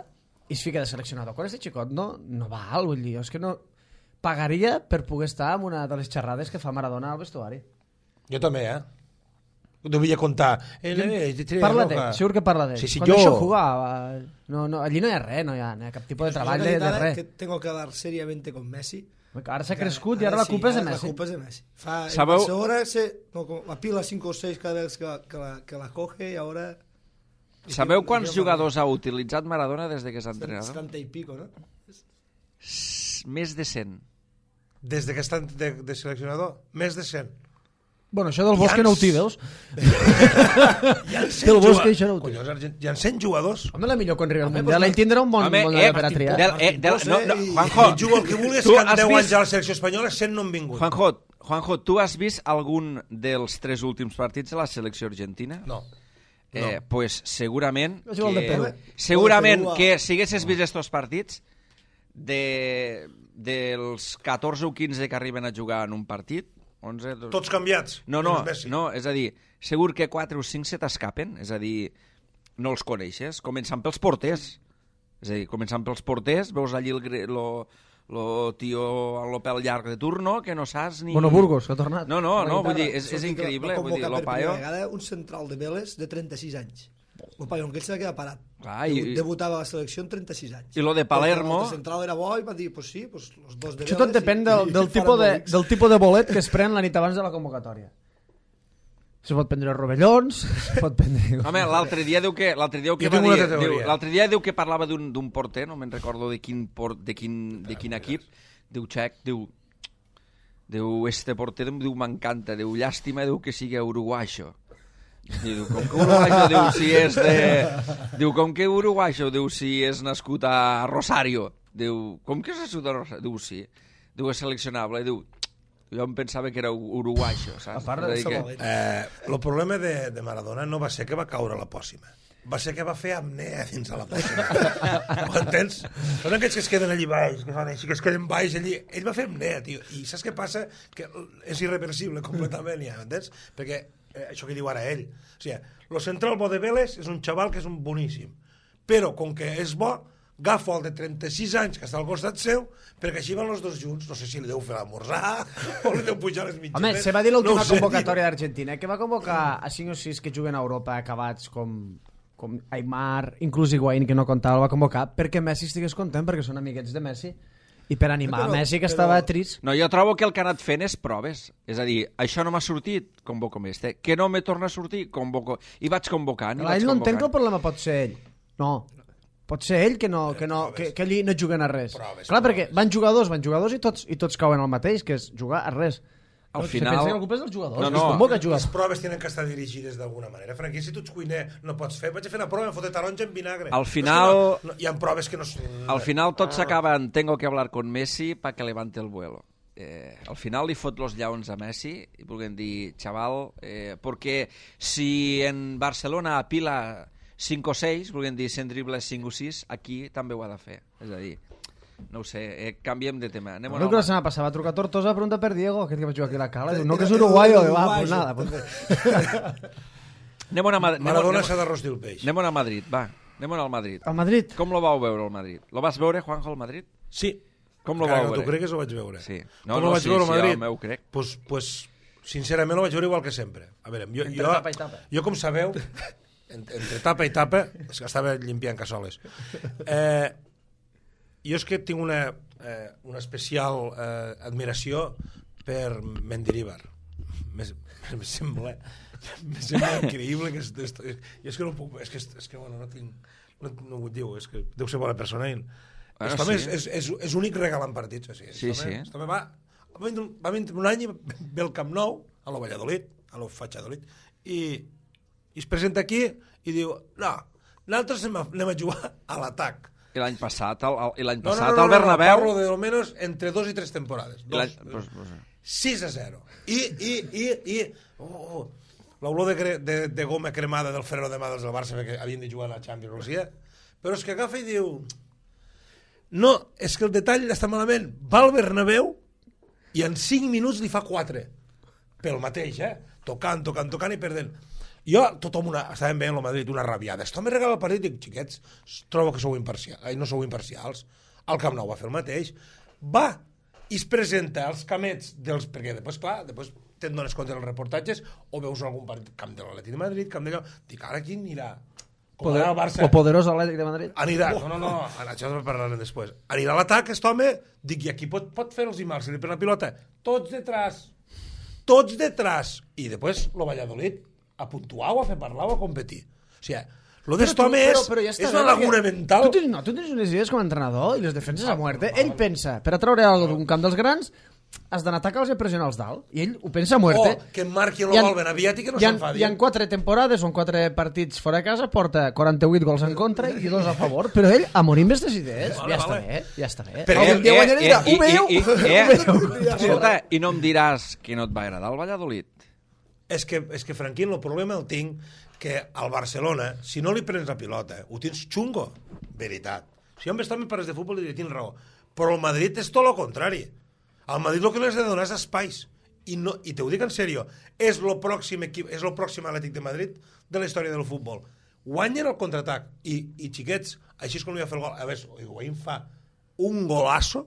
i es fica de seleccionador. Quan este xicot no, no val, vull dir, és que no... Pagaria per poder estar en una de les xerrades que fa Maradona al vestuari. Jo també, eh? Devia contar. Eh, eh, Parla roja. d'ell, segur que parla d'ell. Sí, sí, Quan jo... això jugava, no, no, allí no hi ha res, no hi ha, no hi ha cap tipus de treball de, de Realidad res. que tengo que hablar seriamente con Messi. Ara s'ha crescut i ara la sí, culpa és de ara Messi. La culpa és de Messi. Fa, Sabeu- en ahora se, no, como la pila cinco o seis cada vez que, que, la, que la coge y ahora... Sabeu quants jugadors ha utilitzat Maradona des de que és entrenador? setenta y pico, ¿no? S- Més de cent. Des de que està de, de seleccionador, més de cent. Bueno, això del Bosque no ho té, veus? Hi ha cent Del Bosque juga- això no ho té. Collons, Argent... Hi ha cent jugadors. Home, la millor quan arriba al Home, Mundial, pues, ell tindrà un bon, Home, bon eh, per a triar. del, eh, del, no, no, i- Juanjo, I juga el que vulguis, tu que en has deu vist- anys a la selecció espanyola cent no han vingut. Juanjo, Juanjo, tu has vist algun dels tres últims partits de la selecció argentina? No. Eh, pues segurament És igual de que, Perú. segurament Perú a- que si haguessis vist estos partits de, dels catorze o quinze que arriben a jugar en un partit onze, dos... Tots canviats. no, no, menys Messi. no, és a dir, segur que quatre o cinc se t'escapen, és a dir, no els coneixes, començant pels porters, és a dir, començant pels porters, veus allí el, gre- lo, lo tio amb el pèl llarg de turno, que no saps ni... Bueno, Burgos, que ha tornat. No, no, no, vull dir, és, Això és sí que increïble, va vull dir, convocar lo per primera paio... vegada un central de Vélez de trenta-sis anys. El paio, que ell se va quedar parat. Clar, i- Debutava a la selecció amb trenta-sis anys. I lo de Palermo- El central era bo i va dir, pues sí, pues los dos de Això Vélez... tot depèn i- del, i del, faran tipus de, bolics. del tipus de bolet que es pren la nit abans de la convocatòria. Se pot prendre rovellons, se pot prendre... Home, l'altre dia diu que l'altre dia diu que Jo va tinc una dir, altra diu, teoria. l'altre dia diu que parlava d'un d'un porter, no me'n recordo de quin port, de quin de quin equip, diu Txec, diu diu este porter diu m'encanta, diu llàstima, diu que sigui uruguaixo. I diu, com que uruguaixo, diu si és de... Diu, com que uruguaixo, diu si és nascut a Rosario. Diu, com que és nascut a Rosario? Diu, sí. Diu, és seleccionable. Diu, jo em pensava que era uruguaixo, saps? A part de És a dir això, que- Eh, el problema de, de Maradona no va ser que va caure a la pòssima. Va ser que va fer apnea dins a la pòssima. Ho entens? Són aquells que es queden allí baix, que fan així, que es queden baix allí. Ell va fer apnea, tio. I saps què passa? Que és irreversible completament, ja, entens? Perquè eh, això que diu ara ell. O sigui, lo central bo de Vélez és un xaval que és un boníssim. Però, com que és bo, agafo el de trenta-sis anys que està al costat seu, perquè així van els dos junts, no sé si li deu fer l'esmorzar o li deu pujar les mitjanes. Home, se va dir l'última no sé, convocatòria d'Argentina, que va convocar a cinc o sis que juguen a Europa acabats com, com Aimar, inclús Higuaín, que no comptava, el va convocar perquè Messi estigués content, perquè són amiguets de Messi, i per animar Però- a Messi, que però- estava trist. No, jo trobo que el que ha anat fent és proves. És a dir, això no m'ha sortit, convoco més. Que no me torna a sortir, convoco. I vaig convocant, i Clar, vaig ell no entenc que el convocant. problema pot ser ell. No. Pot ser ell que, no, que, no, que, que allí no juguen a res. Proves, Clar, proves. perquè van jugadors, van jugadors i tots, i tots cauen al mateix, que és jugar a res. Al Se final- pensa que la culpa és dels jugadors, No, no, no. es convoca a Les jugar. proves tenen que estar dirigides d'alguna manera. Franqui, si tu ets cuiner no pots fer, vaig a fer una prova, em fotre taronja en vinagre. Al final- No, és que no, no, hi ha proves que no... Al final tot s'acaba en tengo que hablar con Messi para que levante el vuelo. Eh, al final li fot los llaons a Messi i vulguem dir, chaval, eh, perquè si en Barcelona apila cinc o seis, vulguem dir, cent dribles cinc o sis, aquí també ho ha de fer. És a dir, no ho sé, eh, canviem de tema. Anem Creo que la a... setmana pasada va trucar Tortosa a preguntar per Diego, aquest que va jugar aquí a la cala. Diu, no, Era- que és era uruguayo. uruguayo. Va, pues nada. Pues... Anem a, Mad... anem, a... Maradona anem, s'ha a... de rostir el peix. anem a Madrid, va. Anem al Madrid. Al Madrid. Com lo vau veure, el Madrid? Lo vas veure, Juanjo, al Madrid? Sí. Com lo Encara vau que no veure? t'ho cregues, ho vaig veure. Sí. No, No, Com no, ho vaig sí, veure sí, a Madrid? jo m'ho crec. Pues, pues, sincerament ho vaig veure igual que sempre. A veure, jo, Entre jo, tapa i tapa. jo com sabeu, entre, entre tapa i tapa, és que estava limpiant cassoles. Eh, jo és que tinc una, eh, una especial eh, admiració per Mendilibar. Me, me sembla me sembla increïble que és, és, és, és que no puc, és que, és que bueno, no tinc no, no ho diu, és que deu ser bona persona i Bueno, bueno, sí. és, és, és, és únic regalant partits o sigui, Sí, este home- sí. este home va, va, vindre, un- va vindre un any i ve al Camp Nou a lo Valladolid, a lo Fachadolid i, i es presenta aquí i diu, no, nosaltres anem a, anem a jugar a l'atac. I l'any passat, el, el, i l'any No, no, passat no, no, al Bernabéu... parlo de almenys entre dos i tres temporades. i l'any- Dos, pues, pues, sis a zero. I, i, i, i oh, l'olor de, gre- de, de goma cremada del Ferro de mà dels del Barça perquè havien de jugar a la Champions League, però és que agafa i diu no, és que el detall està malament, va al Bernabéu i en cinc minuts li fa quatre pel mateix, eh? Tocant, tocant, tocant i perdent. Jo, tothom una, estàvem veient el Madrid, una rabiada. Esto me regala el partit, dic, xiquets, trobo que sou imparcials, ai, no sou imparcials. El Camp Nou va fer el mateix. Va i es presenta als camets dels... Perquè després, clar, després te'n dones compte dels reportatges o veus algun partit, camp de l'Atlètic de Madrid, camp d'allò... Dic, ara quin anirà? Com Poder, anar al Barça. o poderós Atlètic de Madrid. Anirà, no, no, no, això en parlarem després. Anirà a l'atac, aquest home, dic, i aquí pot, pot fer els imals, si li pren la pilota, tots detrás, tots detrás, i després lo Valladolid a puntuar o a fer parlar o a competir. O sigui, lo d'est home és, ja està és bé, una laguna perquè mental. Tu tens, no, tu tens unes idees com a entrenador i les defenses a muerte. Ell pensa, per atraure alguna d'un camp dels grans, has d'anar a atacar-los i pressionar-los dalt. I ell ho pensa a muerte. O que marqui el Hi ha- gol ben aviat i que no hi ha, s'enfadi. hi ha quatre temporades o en quatre partits fora de casa, porta quaranta-vuit gols en contra i dos a favor, però ell a morir amb aquestes idees. Vale, ja està vale. bé, ja està bé. Però Algun dia guanyaré i dirà, ho i, veieu? i, Ho eh, veieu? escolta, i no em diràs que no et va agradar el Valladolid? És que, és que Franquín, el problema el tinc que al Barcelona, si no li prens la pilota, ho tens xungo. Veritat. Si jo em estava en pares de futbol i diria, tinc raó. Però el Madrid és tot el contrari. Al Madrid el que li has de donar és espais. I, no, i te ho dic en sèrio, és el pròxim equip, és el pròxim Atlètic de Madrid de la història del futbol. Guanyen el contraatac. I, i xiquets, així és com li va fer el gol. A veure, Higuaín fa un golasso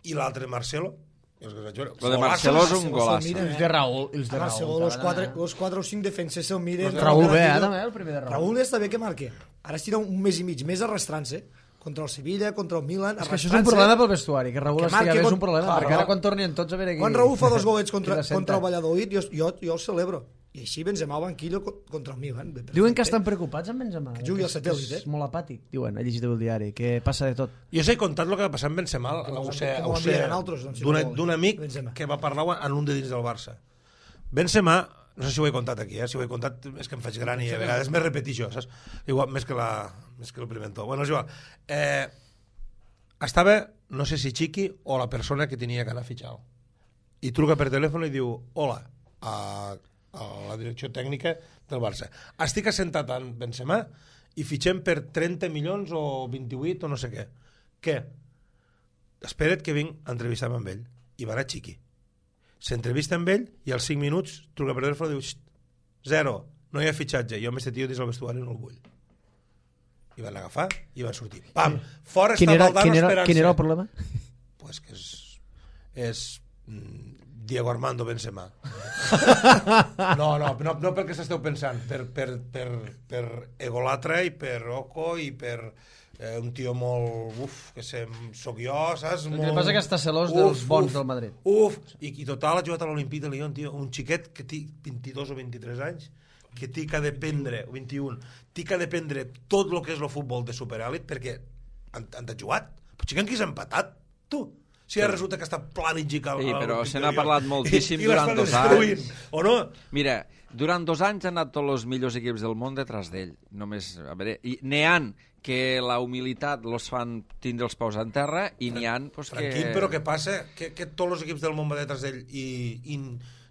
i l'altre Marcelo. Lo de Marcelo és un golasso. Els de Raúl. Els de Ara, Raúl. segons los també, quatre, eh? los quatre o cinc defenses se'l miren... Raúl bé, eh, Raúl, també, el primer de Raúl. Raúl està bé que marque. Ara estirà un mes i mig més arrastrant-se contra el Sevilla, contra el Milan, És que això és un problema pel vestuari, que Raúl Que estigui marqui bé és con- un problema, Clar, perquè no. ara quan tornin tots a veure aquí... Quan Raúl fa dos golets contra, qui la senta. contra el Valladolid, jo, jo, jo el celebro. I així Benzema al banquillo co- contra el Milan. Bé, Diuen que perfecte. estan preocupats amb Benzema. Que jugui al és- satèl·lit, és eh? molt apàtic, diuen, he llegit el diari, que passa de tot. Jo us he contat el que va passar amb Benzema, Que ho ho sé, que ho ho sé, enviaran altres, doncs, si d'un no volen. d'un amic Benzema. que va parlar en un de dins del Barça. Benzema, no sé si ho he contat aquí, eh? Si ho he contat és que em faig gran i a vegades me repeteixo, saps? Igual, més que, la, més que el pimentó. Bueno, és igual. Eh, estava, no sé si Chiqui o la persona que tenia que anar a fitxar-lo. I truca per telèfon i diu, hola, a, a la direcció tècnica del Barça. Estic assentat en Benzema i fitxem per trenta milions o vint-i-vuit o no sé què. Què? Espera't que vinc a entrevistar-me amb ell. I va anar Chiqui. S'entrevista amb ell i als cinc minuts truca per telèfon i diu, zero, no hi ha fitxatge, jo amb este tio dins el vestuari no el vull. i van agafar i van sortir. Pam! Fora Quin està era, Valdano quin era, esperant-se. quin era el problema? Pues que és... és mm, Diego Armando Benzema. No, no, no, no pel que s'esteu pensant, per, per, per, per egolatra i per oco i per eh, un tio molt... Uf, que sé, soc jo, saps? El Molt... que passa que està celós dels bons del Madrid. Uf, i, i total ha jugat a l'Olimpí de Lyon, tio, un xiquet que té vint-i-dos o vint-i-tres anys, que té que aprendre, o vint-i-un, té que aprendre tot el que és el futbol de superèlit perquè han, han de jugat. Però xiquet qui s'ha empatat, tu? Si ara resulta que està planificat... Sí, però se n'ha parlat moltíssim durant dos anys. O no? Mira, durant dos anys han anat tots els millors equips del món detrás d'ell. Només, a veure, i n'hi ha que la humilitat los fan tindre els peus en terra i n'hi ha pues, que... Tranquil, però què passa? Que, que tots els equips del món van detrás d'ell i, i...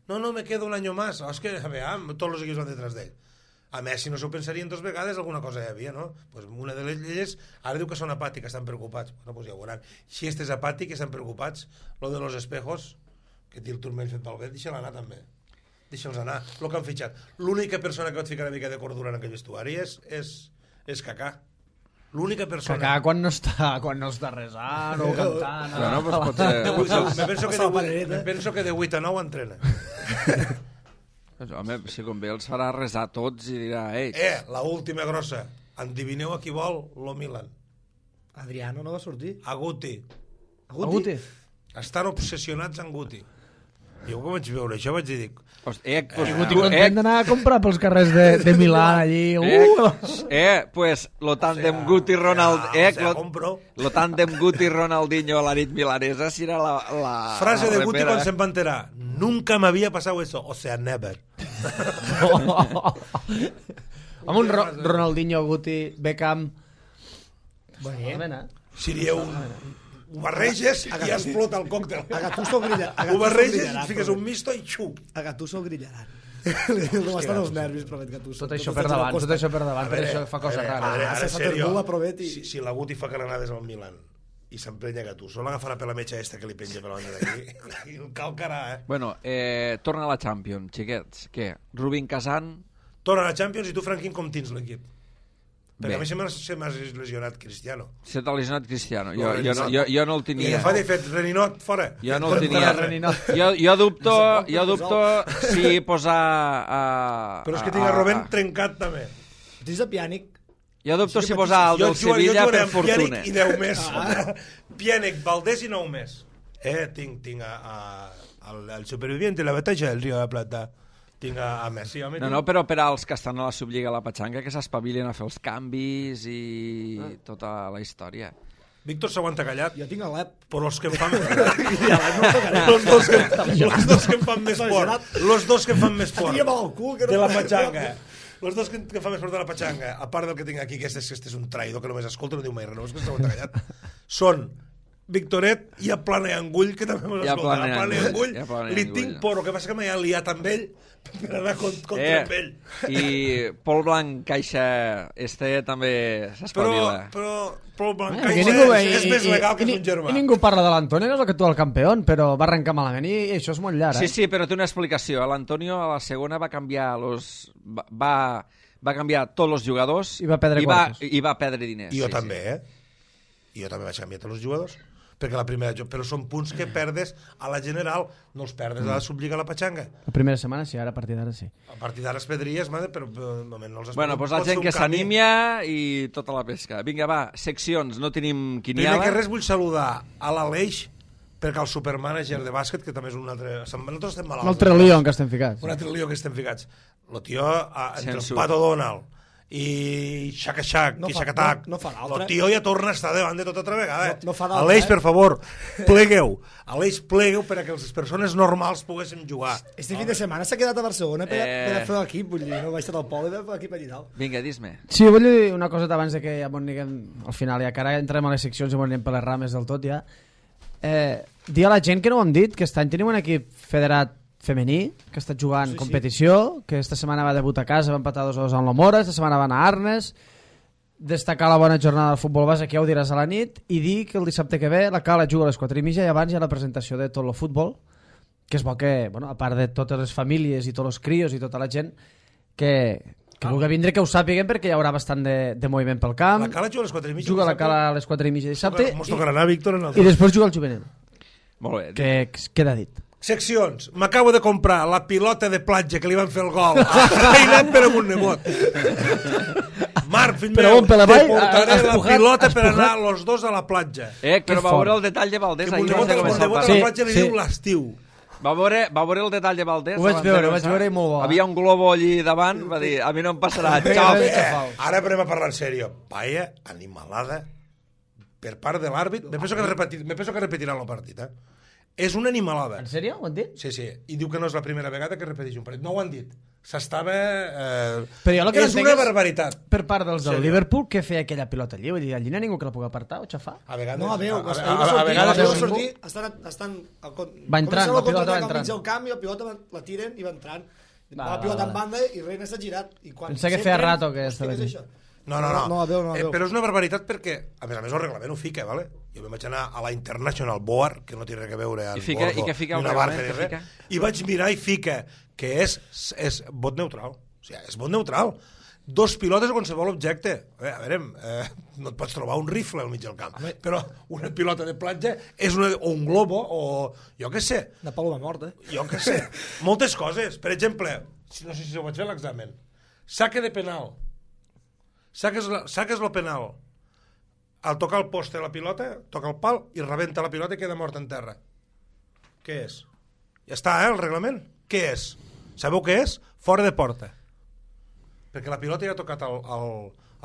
No, no, me quedo un any més. Oh, és que, a veure, tots els equips van detrás d'ell. A Messi no s'ho pensarien dos vegades, alguna cosa hi havia, no? Pues una de les lleis, ara diu que són apàtics, estan preocupats. Bueno, pues ja ho veuran. Si este és apàtic, estan preocupats. Lo de los espejos, que té el turmell fet pel vent, deixa'l anar també. Deixa'ls anar. Lo que han fitxat. L'única persona que pot ficar una mica de cordura en aquell vestuari és, és, és Kaká. L'única persona... Kaká quan no està, quan no està resant o cantant... Bueno, pues pot ser... Me penso que de vuit, me penso que de vuit a nou entrena. Home, si convé els farà resar tots i dirà... Ei, Eh, la última grossa. Endivineu a qui vol lo Milan. Adriano no va sortir. A Guti. Aguti. Estan obsessionats amb Guti. Jo quan vaig veure això vaig dir... Host, eh, pues, Guti tu, content d'anar a comprar pels carrers de, de Milà allí. Eh, Uh! eh, pues, lo tàndem Guti-Ronald... Eh, o sea, lo, compro. lo tàndem Guti-Ronaldinho a la nit milanesa serà la, la... Frase la de Guti repera. quan se'n va enterar. Nunca m'havia passat eso. O sea, never. Amb un Ro Ronaldinho, Guti, Beckham... Bé. Bé, eh? Seria un... Ho barreges i ja explota el còctel. A Gattuso grilla, a Ho Gattuso barreges grillarà, i fiques però- un misto i xu. A Gattuso grillaran. No estan els nervis, promet Gattuso. Tot això per davant, tot això per davant, per això fa coses rares. Ara, Ah, ara, se s'ha serio, perdut la Provetti. si, si la Guti fa calenades al Milan i s'emprenya Gattuso, l'agafarà per la metxa esta que li penja per la banda d'aquí i el calcarà, eh? Bueno, eh, torna a la Champions, xiquets. Què? Rubin Kazan... Torna a la Champions i tu, Franquín, com tens l'equip? Perquè Bé. a mi se m'ha se m'ha lesionat Cristiano. Se t'ha lesionat Cristiano. Jo, No, jo, no, jo, jo no el I tenia. agafat i he fet Reninot, fora. Jo no el tenia. Jo, jo dubto, jo dubto si posar... Uh, Però és que tinc a Robben trencat també. Tens a Pjanic. Jo dubto si posar el del Sevilla per fortuna. Pjanic i deu més. Pjanic, Valdés i nou més. Eh, tinc, tinc a, a, al, al superviviente de la batalla del Río de la Plata. Tinc a, a Messi. Home, No, no, però per als que estan a la Sublliga a la Patxanga que s'espavilen a fer els canvis i ah. tota la història. Víctor s'aguanta callat. Jo tinc a l'Ep. Però els que em fan... los, dos que, los dos que em fan més fort. Los dos que em fan més fort. Tira-me al cul, que no... De la Patxanga. Los dos que, que fan més fort de la Patxanga, a part del que tinc aquí, que este, este és un traïdor que només escolta, no diu mai res, no és que s'aguanta callat, són Victoret i a Plana i Angull, que també m'ho I a escolta. Plana i A Plana i Angull. Angull I a Plana i li Angull. tinc por, el que passa que m'he liat amb ell per anar contra Eh, amb ell. I Pol Blanc Caixa este també Però, s'espavila. però, però el Blanc Eh, que Caixa ningú, és, i- és més i- legal que i, és un germà. I ningú parla de l'Antonio, que és el que tu el campió, però va arrencar malament i, i això és molt llarg, Sí, eh? sí, però té una explicació. L'Antonio a la segona va canviar los, va, va, va canviar tots els jugadors I va perdre i va, quartos. i va perdre diners. I jo sí, també, eh? I jo també vaig canviar tots els jugadors. Perquè la primera... Però són punts que perdes a la general, no els perdes a la Sublliga a la Patxanga. La primera setmana sí, ara a partir d'ara sí. A partir d'ara es pedries, madre, però de moment no els has Bueno, perdut. doncs la Pot ser gent un que canvi. s'anímia i tota la pesca. Vinga, va, seccions, no tenim Primer quiniela. que res vull saludar a l'Aleix, perquè el supermànager de bàsquet, que també és un altre... Nosaltres estem malalts. Un altre lío en què estem ficats. Un altre lío que estem ficats. El tio, a, entre Censura. el Pato Donald i Xaca Xac No i fa- Xacatac, no- no fa l'altre. el tio ja torna a estar davant de tot altra vegada. No- no fa d'altre, Aleix, eh? per favor, plegueu. Aleix, plegueu perquè les persones normals poguéssim jugar. Este fin de setmana s'ha quedat a Barcelona per, Eh. per a fer l'equip, vull dir, no va estar al poble de l'equip allà dalt. Vinga, dis-me. Sí, vull dir una cosa abans de que ja m'ho anem al final, ja que ara entrem a les seccions i m'ho anem per les rames del tot ja. Eh, dir a la gent que no ho hem dit, que aquest any tenim un equip federat femení, que està jugant Sí, sí. competició, que esta setmana va debutar a casa, va empatar dos a dos amb l'Omora, esta setmana va anar a Arnes, destacar la bona jornada del futbol base, que ja ho diràs a la nit, i dir que el dissabte que ve la Cala juga a les quatre i mitja i abans hi ha la presentació de tot el futbol, que és bo que, bueno, a part de totes les famílies i tots els crios i tota la gent, que, Que vulgui vindre que ho sàpiguen perquè hi haurà bastant de, de moviment pel camp. La Cala juga a les quatre i mitja. Juga a la Cala a les quatre i mitja dissabte. Mos tocarà anar, Víctor, en el... I després juga al juvenil. Molt bé. Que, que queda dit. Seccions. M'acabo de comprar la pilota de platja que li van fer el gol. He anat per amb un nebot. Marc, fill Però meu, on, per la te vall? portaré la Espujar- pilota per espujar- anar los dos a la platja. Eh, però Que va veure fort. el detall de Valdés. Que ahir mon abans nebot, de mon començar el nebot a partit. la platja li Sí, diu sí. l'estiu. Va veure, va veure el detall de Valdés? Ho vaig abans de veure, ho vaig començar? veure i molt bo. Havia un globo allí davant, va dir, a mi no em passarà, xau. Eh, Eh, ara anem a parlar en sèrio. Vaya animalada per part de l'àrbit. Me penso que, repetir, me penso que repetirà el partit, eh? És una animalada. En sèrio? Ho han dit? Sí, sí. I diu que no és la primera vegada que repeteix un partit. No ho han dit. S'estava... Eh... Però jo el que no és entenc una és- barbaritat. Per part dels del Sí. Liverpool, què feia aquella pilota allí? Vull dir, allí no hi ha ningú que la pugui apartar o xafar? A vegades... No, a veu, a, a, a, a, a, a vegades... veu veu sortir, estan, estan, el, Va entrant, la pilota va entrant. entrant. Al camp i la pilota va- la tiren i va entrant. Va, Va, la va, pilota va. en banda i Reina s'ha girat. I quan Pensava que s'entren, feia rato que hòstia, estava què és aquí. això? No, no, no. No, a veu, no, a Eh, veu. però és una barbaritat perquè, a més a més, el reglament ho fica, ¿vale? Jo me'n vaig anar a la International Board, que no té res a veure amb I fica- Bordo, i què fica el ni una barca reglament, ni què res, fica? i vaig mirar i fica que és, és vot neutral. O sigui, és vot neutral. Dos pilotes o qualsevol objecte. Eh, a veure, eh, no et pots trobar un rifle al mig del camp, però una pilota de platja és una, o un globo o jo què sé. Una paloma morta. Jo què sé. Moltes coses. Per exemple, si no sé si ho vaig fer a l'examen. Saque de penal. Saques, la, saques el penal. Al tocar el poste la pilota, toca el pal i rebenta la pilota i queda mort en terra. Què és? Ja està, eh, el reglament. Què és? Sabeu què és? Fora de porta. Perquè la pilota ja ha tocat el, el,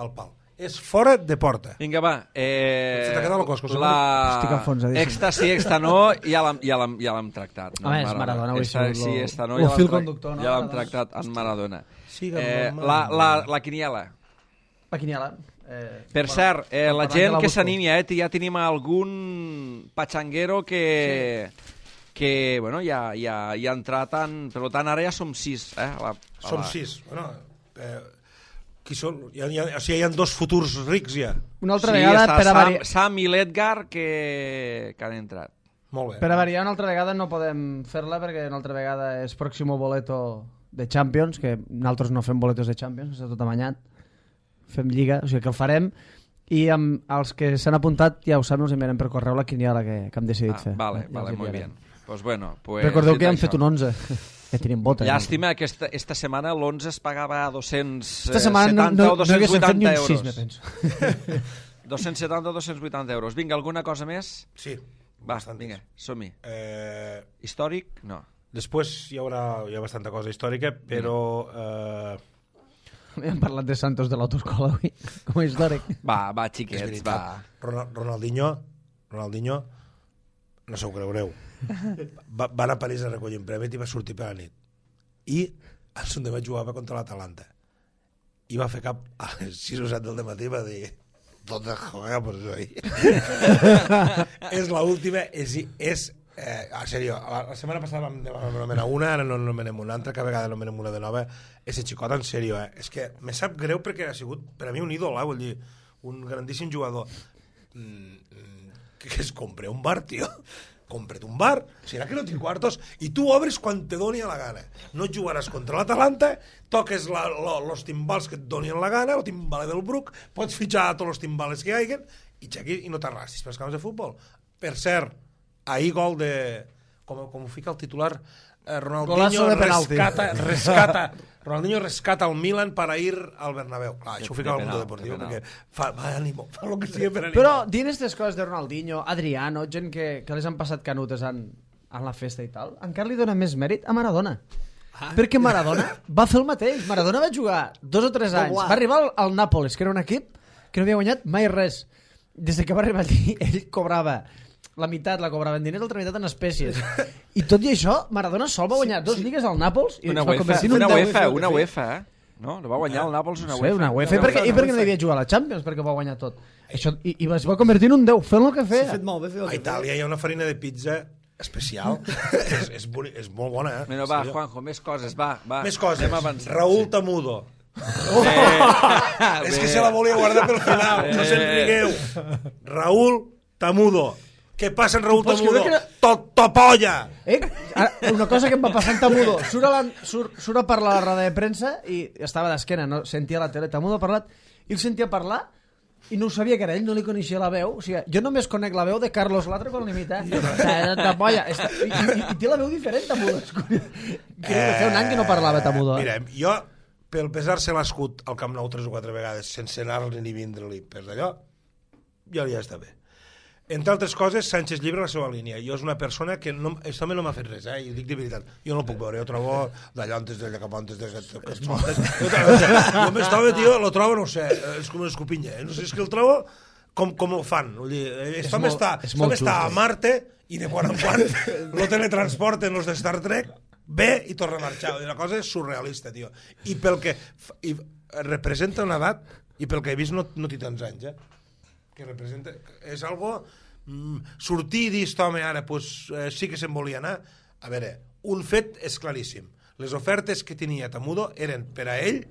el pal. És fora de porta. Vinga, va. Eh, Se t'ha quedat el cos, José la... Estic enfonsadíssim. Esta sí, esta no, ja l'hem ja l'hem- ja l'hem tractat. No? Home, és Maradona, avui Esta, sigut sí, lo- esta no, lo ja fil l'hem tra- conductor, no? ja l'hem Maradona. tractat en Maradona. Siga Eh, mamà. la, la, la quiniela. La quiniela. Eh, Per bueno, cert, eh, la parlant gent de que busco. s'animi, eh, ja tenim algun patxanguero que, que bueno, ja, ja, ja ha entrat en... Per tant, ara ja som sis. Eh, a la, a Som la... sis. Bueno, eh, qui són? Hi ha, hi ha, o sigui, hi ha dos futurs rics ja. Una altra sí, vegada, està per a, Sam, vari... Sam i l'Edgar que, que han entrat. Molt bé. per a variar, una altra vegada no podem fer-la perquè una altra vegada és pròximo boleto de Champions, que nosaltres no fem boletos de Champions, està tot amanyat. Fem lliga, o sigui que el farem. I amb els que s'han apuntat, ja ho saben, us enviarem per correu la quiniela que, que hem decidit Ah, fer. vale, Ja vale, els muy enviarem. bien. Pues bueno, pues Recordeu que ja dit hem fet això. un onze. Ja tenim vota. Llàstima que esta, esta setmana l'onze es pagava a dos-cents Esta setmana no, setanta no, o no haguéssim fet ni dos-cents vuitanta un sis, euros. me penso. dos-cents setanta o dos-cents vuitanta euros. Vinga, alguna cosa més? Sí. Va, bastantes. vinga, som-hi. Eh, Històric? No. després hi haurà hi ha bastanta cosa històrica, però... Eh, Hem parlat de Santos de l'autoescola avui, com a històric. Va, va, és xiquets, veritat. va. Ronald, Ronaldinho, Ronaldinho, no se ho creureu, va, va anar a París a recollir un premi i va sortir per la nit. I el Sundema jugava contra l'Atalanta. I va fer cap a les sis o set del matí i va dir ¿dónde jugamos hoy? És l'última, és... és eh, en serio, la, la setmana passada vam, vam anomenar una, ara no anomenem una altra, cada vegada anomenem una de nova. Ese xicot, en serio, eh? És que me sap greu perquè ha sigut per a mi un ídol, eh? Vull dir, un grandíssim jugador. Mm, mm, que, que es compre un bar, tio. Compra't un bar, serà que no tinc quartos, i tu obres quan te doni la gana. No jugaràs contra l'Atalanta, toques la, lo, los timbals que et donin la gana, el timbaler del Bruc, pots fitxar a tots els timbales que hi haguen, i xequi, i no t'arrastis pels camps de futbol. Per cert, ahir gol de... Com, com ho fica el titular? Eh, Ronaldinho Golazo de penalti. rescata, rescata, Ronaldinho rescata el Milan para ir al Bernabéu. Clar, això ho fica de al Mundo penal, Deportivo, de penal. perquè fa, va, ànimo, fa el que sigui per animar. Però dins aquestes coses de Ronaldinho, Adriano, gent que, que les han passat canutes en, en la festa i tal, encara li dona més mèrit a Maradona. Ah. Perquè Maradona va fer el mateix. Maradona va jugar dos o tres anys. Va arribar al, al Nàpolis, que era un equip que no havia guanyat mai res. Des que va arribar allí, ell cobrava la meitat, la cobrava en diners, l'altra meitat en espècies. I tot i això, Maradona sol va guanyar dos lligues al Nàpols i Una es va UEFA, convertir en un una deu. UEFA, una UEFA, eh? No, no va guanyar el Nàpols una Sí, UEFA. una UEFA. I perquè, i perquè no devia jugar a la Champions, perquè va guanyar tot. Això, i, I es va convertir en un deu, fent el que S'ha feia. fet molt bé fer el A que feia. Itàlia hi ha una farina de pizza especial. és, és, boni, és molt bona, eh? Bueno, va, En sèrio. Juanjo, més coses, va, va. Més coses. Anem avançant. Raúl Tamudo. Eh, És bé. que se la volia guardar pel final. No se'n rigueu. Raúl Tamudo. Què passa en Raúl Pots Tamudo? creure que- To- Topolla! Eh? Ara, una cosa que em va passar en Tamudo, surt a, la, surt, surt a parlar a la roda de premsa i estava d'esquena, no sentia la tele, Tamudo ha parlat, i el sentia parlar i no ho sabia que era ell, no li coneixia la veu. O sigui, jo només conec la veu de Carlos Latre quan l'imita. Tapolla. I, i, I té la veu diferent, Tamudo. Crec que feia un any que no parlava Tamudo. Mira, jo, pel pesar-se l'escut al Camp Nou tres o quatre vegades, sense anar-li ni vindre-li per d'allò, ja li està bé. Entre altres coses, Sánchez llibre la seva línia. Jo és una persona que no, això també no m'ha fet res, eh? I ho dic de veritat. Jo no el puc veure, jo trobo d'allà antes, d'allà cap antes, d'allà cap antes. Jo m'estava, tio, lo trobo, no sé, és com una escopinya, eh? No sé, és que el trobo com, com ho fan. Vull dir, això també està, està a Marte i de quan en quan lo teletransporten los de Star Trek, ve i torna a marxar. La cosa és surrealista, tio. I pel que i representa una edat, i pel que he vist no, no té tants anys, eh? Que representa, és algo mm, sortir i dir, home, ara pues, eh, sí que se'n volia anar. A veure, un fet és claríssim, les ofertes que tenia Tamudo eren per a ell,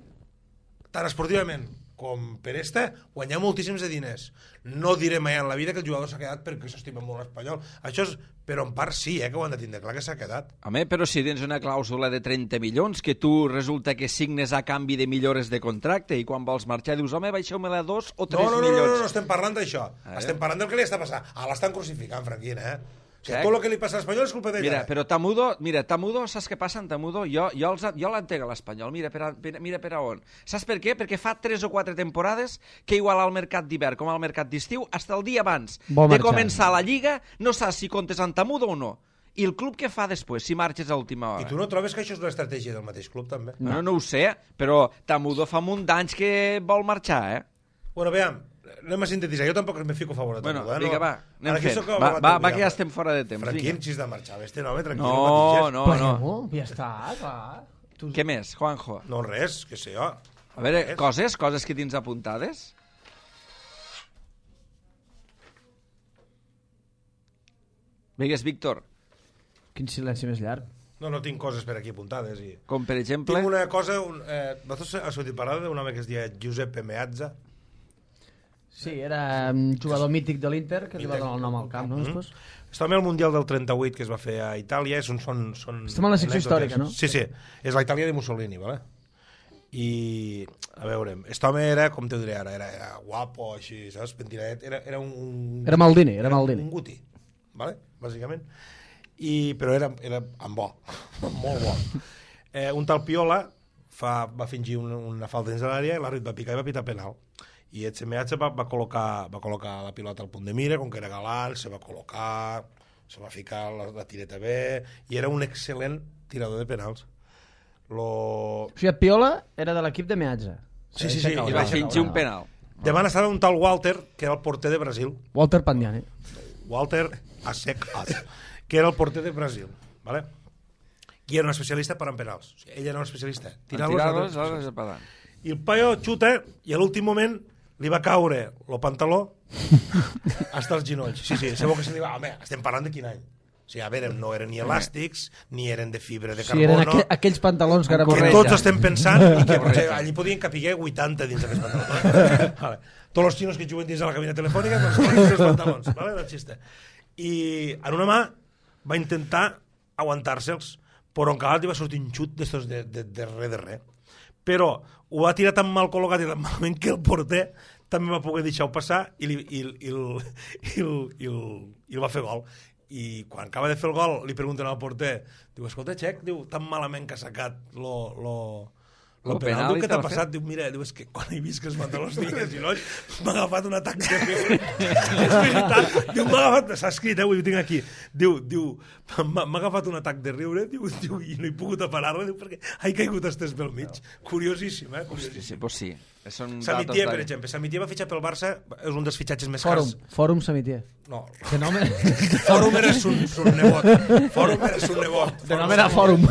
tant esportivament com per esta, guanyar moltíssims de diners. No diré mai en la vida que el jugador s'ha quedat perquè s'estima molt l'Espanyol. Això és, però en part sí, eh, que ho han de tindre clar que s'ha quedat. Home, però si tens una clàusula de trenta milions que tu resulta que signes a canvi de millores de contracte i quan vols marxar dius, home, baixeu-me-la dos o tres no, no, no, milions. No, no, no, estem parlant d'això. Eh? Estem parlant del que li està passant. Ah, l'estan crucificant, Franquina, eh? O sigui, Sí. tot el que li passa a l'Espanyol és culpa d'ella. Mira, però Tamudo, mira, Tamudo, saps què passa en Tamudo? Jo, jo, els, jo l'entenc a l'Espanyol, mira, per a, per, mira per a on. Saps per què? Perquè fa tres o quatre temporades que igual al mercat d'hivern com al mercat d'estiu, fins el dia abans Vol de marxar. començar la Lliga, no saps si comptes en Tamudo o no. I el club què fa després, si marxes a última hora? I tu no trobes que això és una estratègia del mateix club, també? No, no ho sé, però Tamudo fa un munt d'anys que vol marxar, eh? Bueno, veiem, anem a sintetitzar. Jo tampoc me fico a favor de Bueno, Tamudo. Eh? vinga, No, va, anem ara aquí fent. sóc Va, abogat va, del va que ja diable. estem fora de temps. Franquín, Vinga. si has de marxar, este home, tranquil. No, patitges. no, Però, no. ja està, clar. Tu... Què més, Juanjo? No, res, que sé jo. A veure, Res. coses, coses que tens apuntades? Digues, Víctor, Quin silenci més llarg. No, no tinc coses per aquí apuntades. I... com per exemple... Tinc una cosa... Un, eh, vosaltres has sentit parlar d'un home que es deia Giuseppe Meazza? Sí, era un jugador mític de l'Inter que li va Mític. donar el nom al camp, no? Mhm. Després? Està també al Mundial del trenta-vuit que es va fer a Itàlia. És un, són, són Estem en la secció anècdotes. històrica, no? Sí, sí. És la Itàlia de Mussolini, ¿vale? I, a veure, aquest home era, com te ho diré ara, era, era guapo, així, saps? Pentinadet. Era, era un, un... Era Maldini, era Maldini. Un guti, ¿vale? Bàsicament. I, però era, era amb bo, molt bo. Eh, un tal Piola fa, va fingir una, una falta dins de l'àrea i l'àrbit va picar i va pitar penal. I el Semeatge va, va, col·locar, va col·locar la pilota al punt de mira, com que era galant, se va col·locar, se va ficar la, la tireta bé, i era un excel·lent tirador de penals. Lo... O sigui, Piola era de l'equip de Meazza. Sí, sí, sí, I va fingir un penal. Davant estava un tal Walter, que era el porter de Brasil. Walter Pandiani. Walter Asek As, que era el porter de Brasil, ¿vale? I era un especialista per en penals. O sigui, ell era un especialista. Tirar-los, tirar-los, tirar-los a pedant. I el paio xuta i a l'últim moment li va caure el pantaló hasta els ginolls. Sí, sí, sabeu que se li va... Home, estem parlant de quin any? O sigui, a veure, no eren ni elàstics, ni eren de fibra de Sí, eren carbono... aqu aquells pantalons que ara... Que Correcte. tots estem pensant i que potser allí podien capiguer vuitanta dins d'aquests pantalons. Vale. Tots els xinos que juguen dins de la cabina telefònica doncs posen els pantalons, vale? No xiste. I en una mà va intentar aguantar-se'ls, però en calat li va sortir un xut d'estos de, de, de res de res. Però ho va tirar tan mal col·locat i tan malament que el porter també va poder deixar-ho passar i, li, i, i, el, i, el, i, el, i el va fer gol. I quan acaba de fer el gol li pregunten al porter, diu, escolta, Txec, diu, tan malament que ha sacat lo, lo, lo Lo penal, penal diu, i què te t'ha l'ha passat? Diu, mira, diu, és que quan he vist que els pantalons tenien ginolls m'ha agafat un atac de riure. És veritat, diu, m'ha agafat, s'ha escrit, eh, ho tinc aquí, diu, diu, m'ha m'ha agafat un atac de riure, diu, diu, i no he pogut aparar-la, diu, perquè he caigut estés pel mig. Curiosíssim, eh, Sí, curiosíssim. sí, pues sí. Són Samitier, datos per de- exemple. Samitier va fitxar pel Barça, és un dels fitxatges més Fòrum, cars. Fòrum Samitier. No, Que nom era... Fòrum era son, son nebot. Fòrum era son nebot. De nom era Fòrum.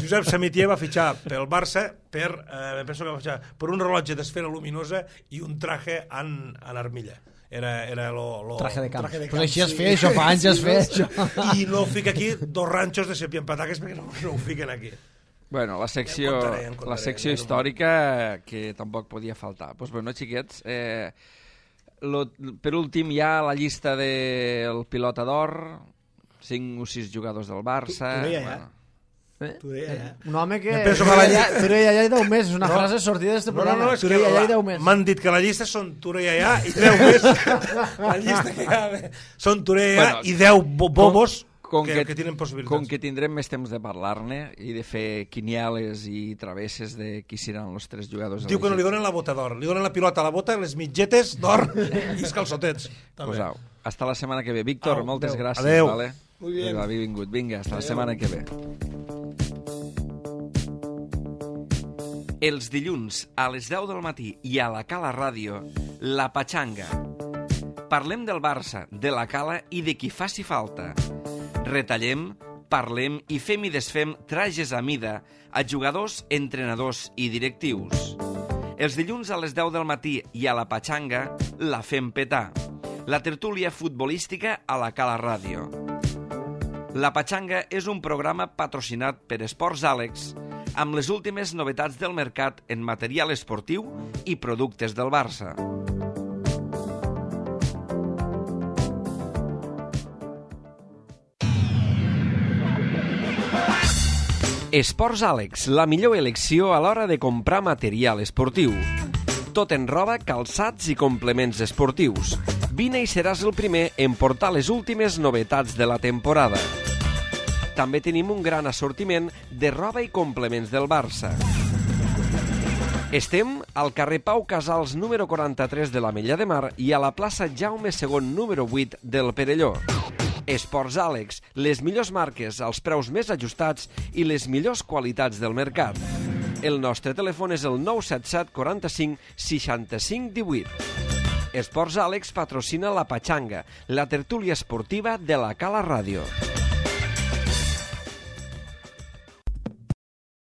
Josep Samitier va fitxar pel Barça per, eh, penso que va fitxar per un rellotge d'esfera luminosa i un traje en, en armilla. Era, era lo, lo... Traje de camp. traje de Pues així es sí. feia, això fa anys es feia, Sí, això. I no fica aquí dos ranxos de sepi en pataques perquè no, no ho fiquen aquí. Bueno, la secció, Ja en contaré, ja en contaré. la secció històrica que tampoc podia faltar. Doncs pues bueno, xiquets, eh, lo, per últim hi ha la llista del pilota d'or, cinc o sis jugadors del Barça... Tu, tu deia, bueno. Eh? Tu deia, ja. Un home que... Jo penso que la ja, Ture i allà i deu mesos, una No. frase sortida d'este No, no, programa. no, és Ture que i allà i la- deu mesos. m'han dit que la llista són Ture i allà i deu més. La llista que hi ha són Ture i allà Bueno, i deu bo bobos com que, que, que tenen possibilitats. Com que tindrem més temps de parlar-ne i de fer quinieles i travesses de qui seran els tres jugadors Diu que no li donen la bota d'or, li donen la pilota a la bota, les mitgetes d'or i els calçotets. També. Pues au, hasta la setmana que ve. Víctor, Au, moltes adeu. gràcies. Adeu. Vale? Muy bien. Vinga, benvingut. Vinga, hasta la setmana que ve. Els dilluns a les deu del matí i a la Cala Ràdio, La Patxanga. Parlem del Barça, de la Cala i de qui faci falta. Retallem, parlem i fem i desfem trajes a mida a jugadors, entrenadors i directius. Els dilluns a les deu del matí i a la Patxanga la fem petar. La tertúlia futbolística a la Cala Ràdio. La Patxanga és un programa patrocinat per Esports Àlex amb les últimes novetats del mercat en material esportiu i productes del Barça. Esports Àlex, la millor elecció a l'hora de comprar material esportiu. Tot en roba, calçats i complements esportius. Vine i seràs el primer en portar les últimes novetats de la temporada. També tenim un gran assortiment de roba i complements del Barça. Estem al carrer Pau Casals número quaranta-tres de l'Ametlla de Mar i a la plaça Jaume segon número vuit del Perelló. Esports Àlex, les millors marques, els preus més ajustats i les millors qualitats del mercat. El nostre telèfon és el nou set set quaranta-cinc seixanta-cinc divuit. Esports Àlex patrocina la Patxanga, la tertúlia esportiva de la Cala Ràdio.